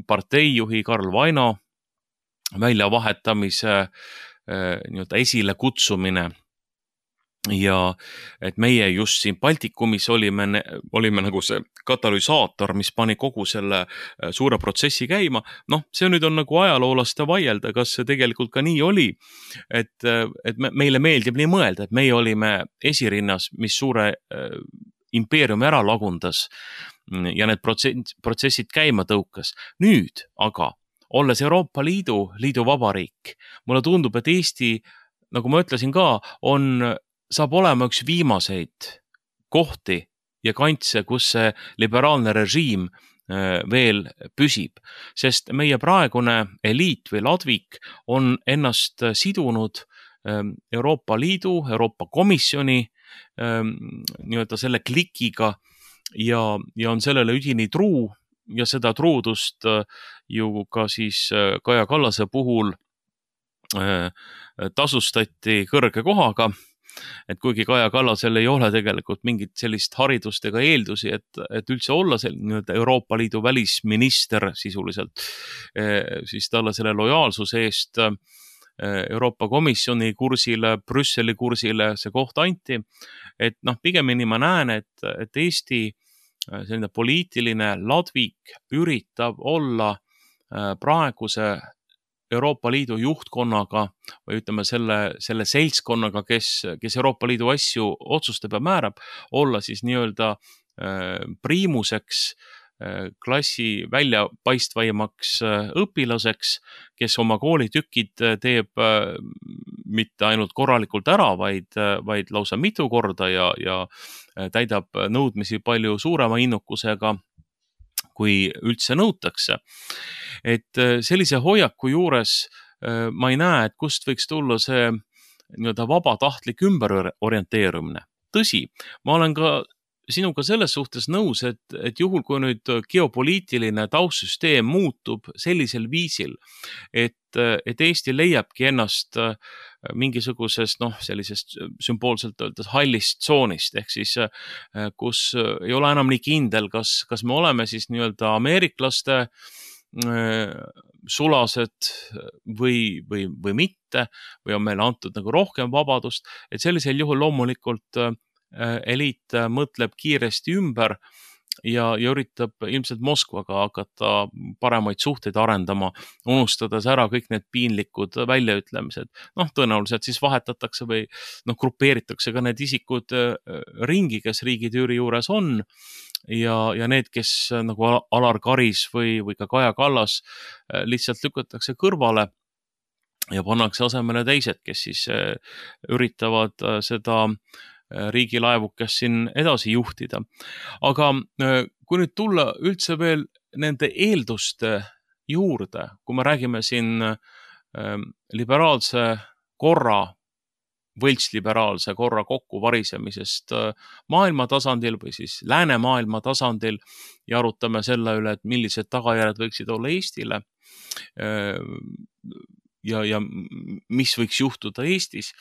parteijuhi Karl Vaino väljavahetamise esile kutsumine ja et meie just siin Baltikumis olime nagu see katalüsaator, mis pani kogu selle suure protsessi käima. See nüüd on nagu ajaloolaste vaielda, kas see tegelikult ka nii oli, et meile meeldib nii mõelda, et meie olime esirinnas, mis suure impeeriumi ära lagundas ja need protsessid käima tõukas. Nüüd aga olles Euroopa Liidu vabariik, mulle tundub, et Eesti, nagu ma ütlesin ka, saab olema üks viimaseid kohti ja kantse, kus see liberaalne režiim veel püsib, sest meie praegune eliit või ladvik on ennast sidunud Euroopa Liidu, Euroopa Komisjoni nii-öelda selle klikiga ja on sellele üdini truu. Ja seda truudust ju ka siis Kaja Kallase puhul tasustati kõrge kohaga, et kuigi Kaja Kallasel ei ole tegelikult mingit sellist haridust ega eeldusi, et üldse olla Euroopa Liidu välisminister sisuliselt, siis talle selle lojaalsuse eest Euroopa Komisjoni kursile, Brüsseli kursile see koht anti, et pigemini ma näen, et Eesti selline poliitiline ladvik üritab olla praeguse Euroopa Liidu juhtkonnaga või ütleme selle seltskonnaga, kes Euroopa Liidu asju otsustab ja määrab, olla siis nii-öelda priimuseks, klassi väljapaistvaimaks õpilaseks, kes oma koolitükid teeb mitte ainult korralikult ära, vaid lausa mitu korda ja täidab nõudmisi palju suurema innukusega, kui üldse nõutakse. Et sellise hoiaku juures ma ei näe, et kust võiks tulla see nii-öelda vabatahtlik ümberorienteerumine. Tõsi, ma olen ka sinuga selles suhtes nõus, et juhul, kui nüüd geopoliitiline taustsüsteem muutub sellisel viisil, et Eesti leiabki ennast mingisugusest sellisest sümboolselt öeldes hallist tsoonist, ehk siis kus ei ole enam nii kindel, kas me oleme siis nii-öelda ameeriklaste sulased või mitte, või on meile antud nagu rohkem vabadust, et sellisel juhul loomulikult eliit mõtleb kiiresti ümber ja üritab ilmselt Moskvaga hakata paremaid suhteid arendama, unustades ära kõik need piinlikud väljaütlemised. Tõenäoliselt siis vahetatakse või grupeeritakse ka need isikud ringi, kes riigitüüri juures on ja need, kes nagu Alar Karis või ka Kaja Kallas lihtsalt lükatakse kõrvale ja pannakse asemele teised, kes siis üritavad seda riigilaevukest siin edasi juhtida. Aga kui nüüd tulla üldse veel nende eelduste juurde, kui me räägime siin liberaalse korra võltsliberaalse korra kokkuvarisemisest maailma tasandil või siis läänemaailma tasandil ja arutame selle üle, et millised tagajärjed võiksid olla Eestile ja mis võiks juhtuda Eestis,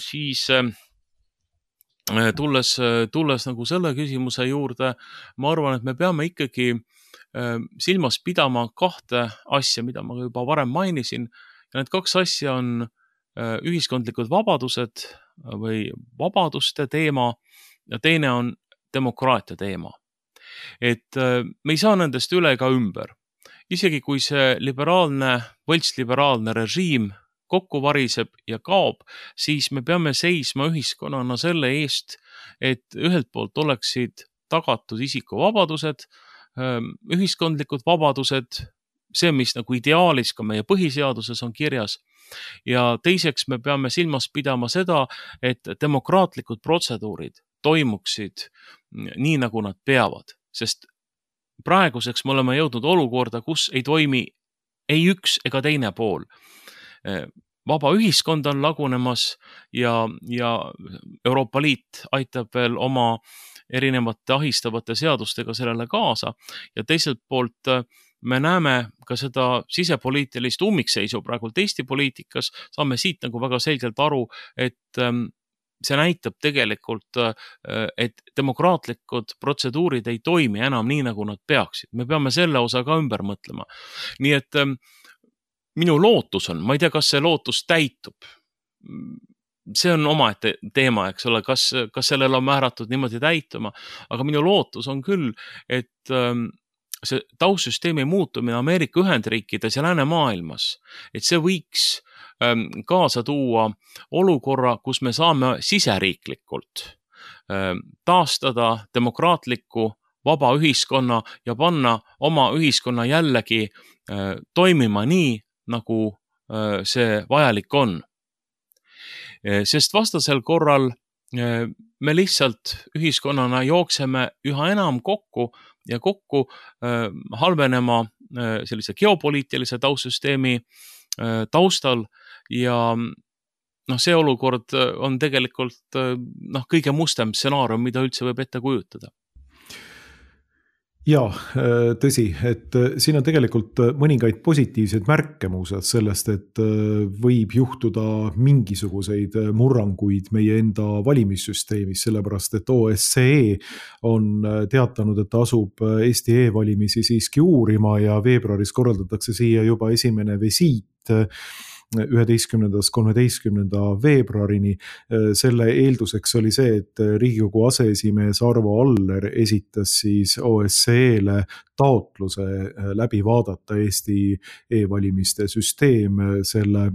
siis tulles nagu selle küsimuse juurde, ma arvan, et me peame ikkagi silmas pidama kahte asja, mida ma juba varem mainisin. Ja need kaks asja on ühiskondlikud vabadused või vabaduste teema ja teine on demokraatia teema. Et me ei saa nendest üle ega ümber. Isegi kui see võltsliberaalne režiim kokku variseb ja kaob, siis me peame seisma ühiskonnana selle eest, et ühelt poolt oleksid tagatud isikuvabadused, ühiskondlikud vabadused, see, mis nagu ideaalis ka meie põhiseaduses on kirjas. Ja teiseks me peame silmas pidama seda, et demokraatlikud protseduurid toimuksid nii, nagu nad peavad, sest praeguseks me oleme jõudnud olukorda, kus ei toimi ei üks ega teine pool. Vaba ühiskond on lagunemas ja Euroopa Liit aitab veel oma erinevate ahistavate seadustega sellele kaasa ja teiselt poolt me näeme ka seda sisepoliitilist ummikseisu praegult Eesti poliitikas, saame siit nagu väga selgelt aru, et see näitab tegelikult, et demokraatlikud protseduurid ei toimi enam nii, nagu nad peaksid. Me peame selle osa ka ümber mõtlema. Nii et minu lootus on, ma ei tea, kas see lootus täitub. See on omaette teema, eks ole, kas sellel on määratud niimoodi täituma, aga minu lootus on küll, et see taustsüsteemi muutumine Ameerika Ühendriikides ja läänemaailmas, et see võiks kaasa tuua olukorra, kus me saame siseriiklikult taastada demokraatliku vaba ühiskonna ja panna oma ühiskonna jällegi toimima nii, nagu see vajalik on. Sest vastasel korral me lihtsalt ühiskonnana jookseme üha enam kokku halvenema sellise geopoliitilise taustsüsteemi taustal ja see olukord on tegelikult kõige mustem stsenaarium, mida üldse võib ette kujutada. Ja, tõsi, et siin on tegelikult mõningaid positiivseid märke muuseas sellest, et võib juhtuda mingisuguseid murranguid meie enda valimissüsteemis, sellepärast et OSCE on teatanud, et asub Eesti e-valimisi siiski uurima ja veebruaris korraldatakse siia juba esimene visiit 11.–13. veebruarini. Selle eelduseks oli see, et Riigikogu aseesimees Arvo Aller esitas siis OSCE-le taotluse läbi vaadata Eesti e-valimiste süsteem. Selle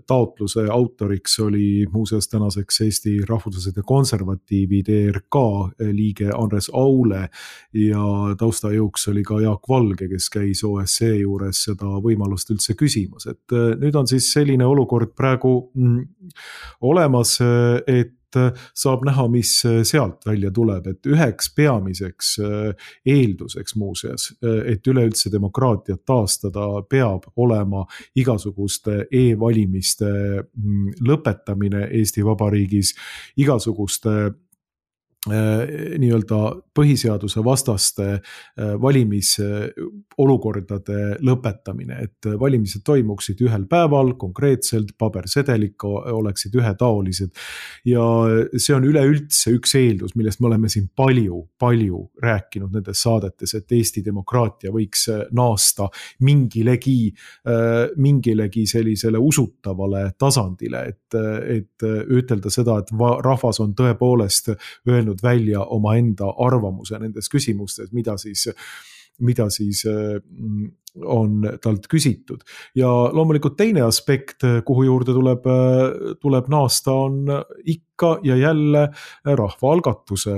taotluse autoriks oli muuseas tänaseks Eesti Rahvuslased ja Konservatiivid ERK liige Andres Aule ja taustajõuks oli ka Jaak Valge, kes käis OSCE juures seda võimalust üldse küsimas. Et nüüd on siis selline olukord praegu olemas, et saab näha, mis sealt välja tuleb, et üheks peamiseks eelduseks muuseas, et üleüldse demokraatiat taastada, peab olema igasuguste e-valimiste lõpetamine Eesti Vabariigis, igasuguste nii-öelda põhiseaduse vastaste valimisolukordade lõpetamine, et valimised toimuksid ühel päeval, konkreetselt pabersedeliga oleksid ühetaolised ja see on üleüldse üks eeldus, millest me oleme siin palju rääkinud nendes saadetes, et Eesti demokraatia võiks naasta mingilegi sellisele usutavale tasandile, et ütelda seda, et rahvas on tõepoolest öelnud välja oma enda arvamuse nendes küsimustes, mida siis on talt küsitud. Ja loomulikult teine aspekt, kuhu juurde tuleb naasta, on ikka ja jälle rahvaalgatuse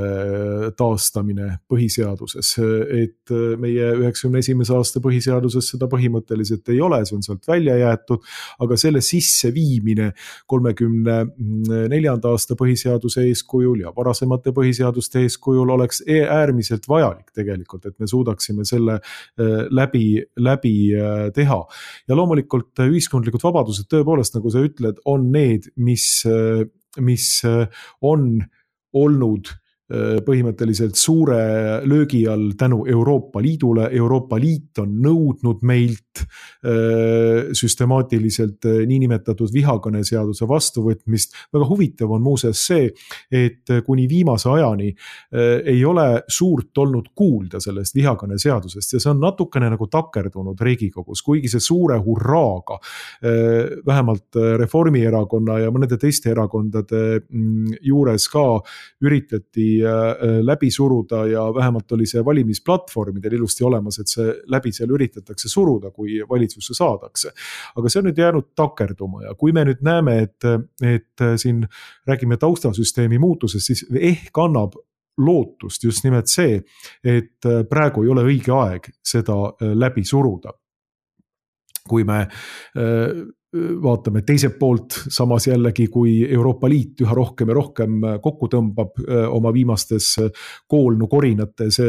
taastamine põhiseaduses. Et meie 91. aasta põhiseaduses seda põhimõtteliselt ei ole, see on sealt välja jäetud, aga selle sisseviimine 34. aasta põhiseaduse eeskujul ja varasemate põhiseaduste eeskujul oleks äärmiselt vajalik tegelikult, et me suudaksime selle läbi teha. Ja loomulikult ühiskondlikud vabadused tõepoolest, nagu sa ütled, on need, mis on olnud põhimõtteliselt suure löögi all tänu Euroopa Liidule. Euroopa Liit on nõudnud meilt süstemaatiliselt niinimetatud vihakõneseaduse vastuvõtmist. Väga huvitav on muuseas see, et kuni viimase ajani ei ole suurt olnud kuulda sellest vihakõneseadusest ja see on natukene nagu takerdunud Riigikogus, kuigi see suure hurraaga vähemalt Reformierakonna ja mõnede teiste erakondade juures ka üritati läbi suruda ja vähemalt oli see valimisplatvormidel ilusti olemas, et see läbi seal üritatakse suruda, kui valitsusse saadakse. Aga see on nüüd jäänud takerduma ja kui me nüüd näeme, et siin räägime taustasüsteemi muutusest, siis ehk annab lootust just nimelt see, et praegu ei ole õige aeg seda läbi suruda. Kui me vaatame teiselt poolt, samas jällegi, kui Euroopa Liit üha rohkem ja rohkem kokku tõmbab oma viimastes koolnukorinates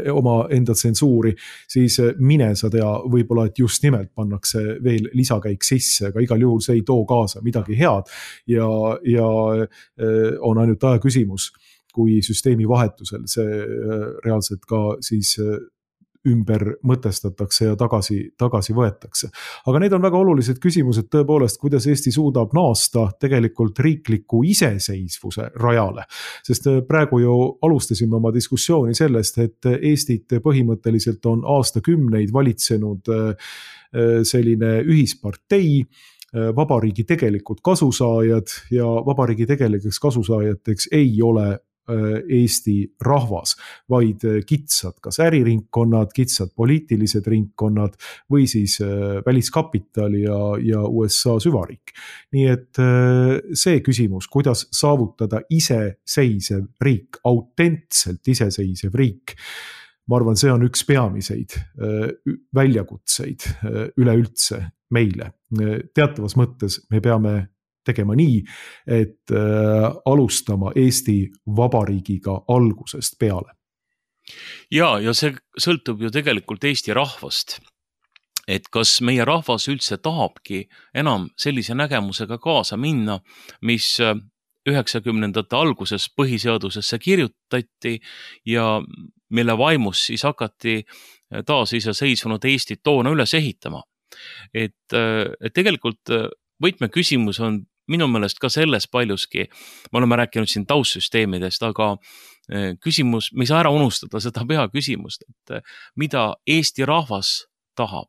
oma enda tsensuuri, siis mine sa tea, võib-olla, et just nimelt pannakse veel lisakäik sisse, aga igal juhul see ei too kaasa midagi head ja on ainult aja küsimus, kui süsteemi vahetusel see reaalselt ka siis ümber mõtestatakse ja tagasi võetakse. Aga need on väga olulised küsimused tõepoolest, kuidas Eesti suudab naasta tegelikult riikliku iseseisvuse rajale. Sest praegu ju alustasime oma diskussiooni sellest, et Eestit põhimõtteliselt on aastakümneid valitsenud selline ühispartei, vabariigi tegelikud kasusaajad ja vabariigi tegelikeks kasusaajateks ei ole Eesti rahvas, vaid kitsad kas äriringkonnad, kitsad poliitilised ringkonnad või siis väliskapital ja USA süvariik. Nii et see küsimus, kuidas saavutada iseseisev riik, autentselt iseseisev riik, ma arvan, see on üks peamiseid väljakutseid üleüldse meile. Teatavas mõttes me peame tegema nii, et alustama Eesti Vabariigiga algusest peale. Ja see sõltub ju tegelikult Eesti rahvast, et kas meie rahvas üldse tahabki enam sellise nägemusega kaasa minna, mis 90ndate alguses põhiseadusesse kirjutati ja mille vaimus siis hakati taas iseseisvunud Eestit toona üles ehitama. Et tegelikult võtmeküsimus on minu meelest ka selles paljuski, me oleme rääkinud siin taustsüsteemidest, aga küsimus, me ei saa ära unustada seda peaküsimust, et mida Eesti rahvas tahab.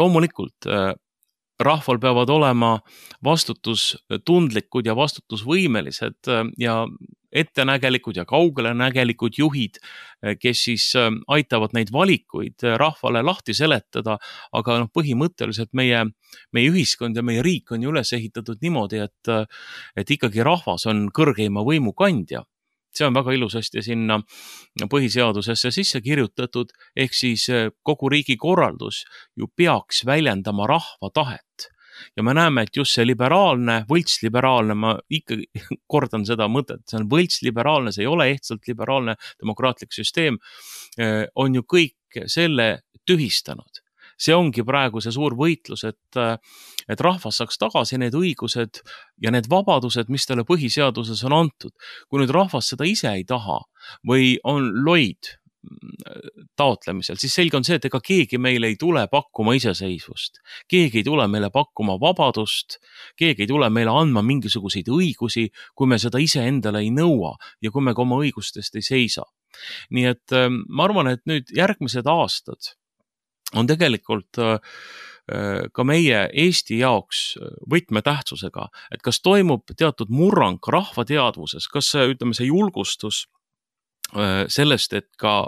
Loomulikult rahval peavad olema vastutustundlikud ja vastutusvõimelised ja ettenägelikud ja kaugelenägelikud juhid, kes siis aitavad neid valikuid rahvale lahti seletada, aga põhimõtteliselt meie ühiskond ja meie riik on ju üles ehitatud niimoodi, et ikkagi rahvas on kõrgeima võimu kandja. See on väga ilusasti sinna põhiseadusesse sisse kirjutatud, ehk siis kogu riigi korraldus ju peaks väljendama rahva tahet. Ja me näeme, et just see liberaalne, võltsliberaalne, ma ikkagi kordan seda mõtet, see on võltsliberaalne, see ei ole ehtsalt liberaalne demokraatlik süsteem, on ju kõik selle tühistanud. See ongi praegu see suur võitlus, et rahvas saaks tagasi need õigused ja need vabadused, mis talle põhiseaduses on antud. Kui nüüd rahvas seda ise ei taha või on loid taotlemisel, siis selge on see, et ega keegi meile ei tule pakkuma iseseisvust. Keegi ei tule meile pakkuma vabadust, keegi ei tule meile andma mingisuguseid õigusi, kui me seda ise endale ei nõua ja kui me ka oma õigustest ei seisa. Nii et ma arvan, et nüüd järgmised aastad on tegelikult ka meie Eesti jaoks võtmetähtsusega, et kas toimub teatud murrang rahva teadvuses, kas see julgustus sellest, et ka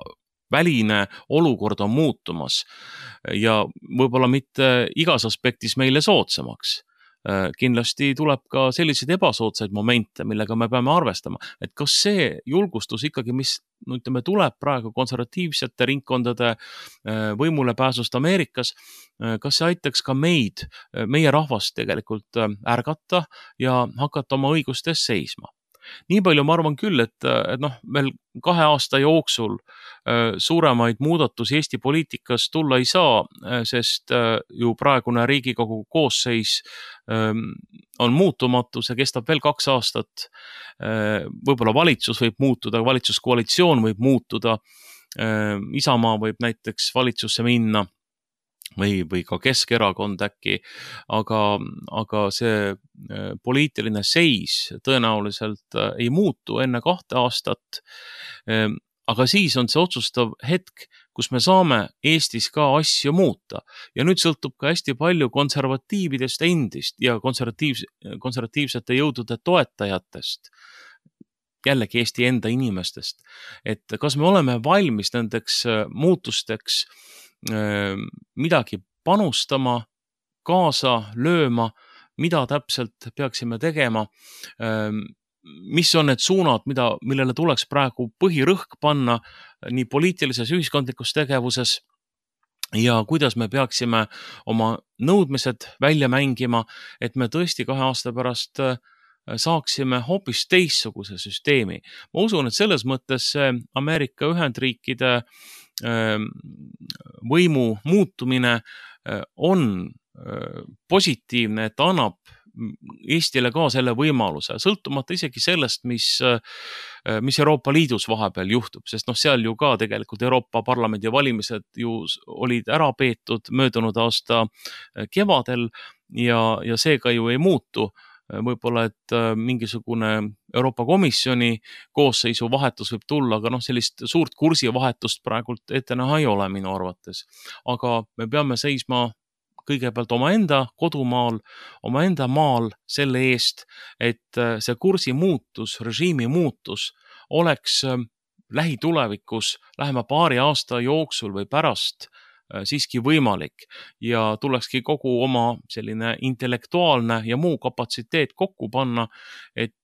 väline olukord on muutumas ja võib-olla mitte igas aspektis meile soodsamaks. Kindlasti tuleb ka selliseid ebasoodsaid momente, millega me peame arvestama, et kas see julgustus ikkagi, mis tuleb praegu konservatiivsete ringkondade võimule pääsust Ameerikas, kas see aitaks ka meie rahvast tegelikult ärgata ja hakata oma õigustes seisma. Nii palju ma arvan küll, et veel 2 aasta jooksul suuremaid muudatusi Eesti poliitikas tulla ei saa, sest ju praegune Riigikogu koosseis on muutumatu, see kestab veel 2 aastat. Võib-olla valitsus võib muutuda, valitsuskoalitsioon võib muutuda, Isamaa võib näiteks valitsusse minna või ka Keskerakond äkki, aga see poliitiline seis tõenäoliselt ei muutu enne 2 aastat. Aga siis on see otsustav hetk, kus me saame Eestis ka asju muuta. Ja nüüd sõltub ka hästi palju konservatiividest endist ja konservatiivsete jõudude toetajatest, jällegi Eesti enda inimestest. Et kas me oleme valmis nendeks muutusteks midagi panustama, kaasa lööma, mida täpselt peaksime tegema, mis on need suunad, millele tuleks praegu põhirõhk panna nii poliitilises ühiskondlikus tegevuses ja kuidas me peaksime oma nõudmised välja mängima, et me tõesti 2 aasta pärast saaksime hoopis teistsuguse süsteemi. Ma usun, et selles mõttes Ameerika Ühendriikide võimu muutumine on positiivne, et annab Eestile ka selle võimaluse, sõltumata isegi sellest, mis Euroopa Liidus vahepeal juhtub, sest seal ju ka tegelikult Euroopa Parlamendi valimised ju olid ära peetud möödunud aasta kevadel ja seega ju ei muutu. Võib-olla, et mingisugune Euroopa Komisjoni koosseisu vahetus võib tulla, aga sellist suurt kursivahetust praegult ette näha ei ole minu arvates. Aga me peame seisma kõigepealt omaenda kodumaal, omaenda maal selle eest, et see kursi muutus, režiimi muutus oleks lähitulevikus, lähema 2 aasta jooksul või pärast siiski võimalik ja tulekski kogu oma selline intellektuaalne ja muu kapatsiteet kokku panna, et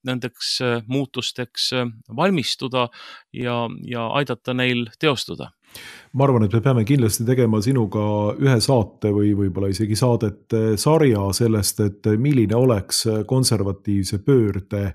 nendeks muutusteks valmistuda ja aidata neil teostuda. Ma arvan, et me peame kindlasti tegema sinuga ühe saate või võib-olla isegi saadete sarja sellest, et milline oleks konservatiivse pöörde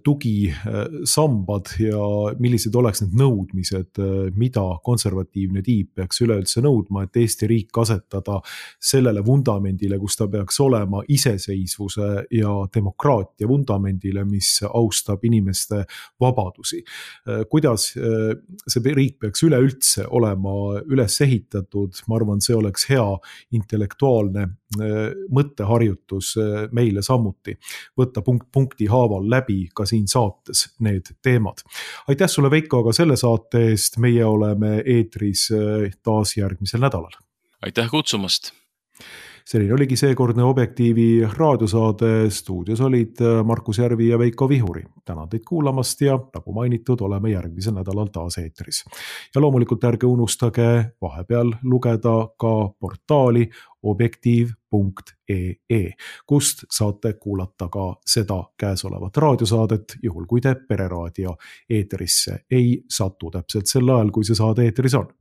tugisambad ja millised oleks need nõudmised, mida konservatiivne tiib peaks üleüldse nõudma, et Eesti riik asetada sellele vundamendile, kus ta peaks olema iseseisvuse ja demokraatia vundamendile, mis austab inimeste vabadusi. Kuidas see riik peaks üleüldse olema üles ehitatud, ma arvan, see oleks hea intellektuaalne mõtteharjutus meile samuti. Võtta punkti haaval läbi ka siin saates need teemad. Aitäh sulle, Veiko, aga selle saate eest. Meie oleme eetris taas järgmisel nädalal. Aitäh kutsumast! Selline oligi seekordne Objektiivi raadiosaade. Stuudios olid Markus Järvi ja Veiko Vihuri. Tänan teid kuulamast ja nagu mainitud, oleme järgmisel nädalal taas eetris. Ja loomulikult ärge unustage vahepeal lugeda ka portaali objektiiv.ee, kust saate kuulata ka seda käesolevat raadiosaadet, juhul kui te Pereraadio eetrisse ei satu täpselt sel ajal, kui see saade eetris on.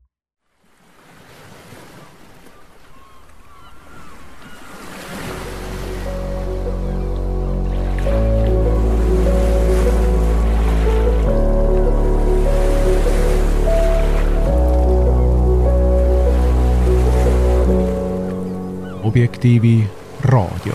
Objektiivi raadio.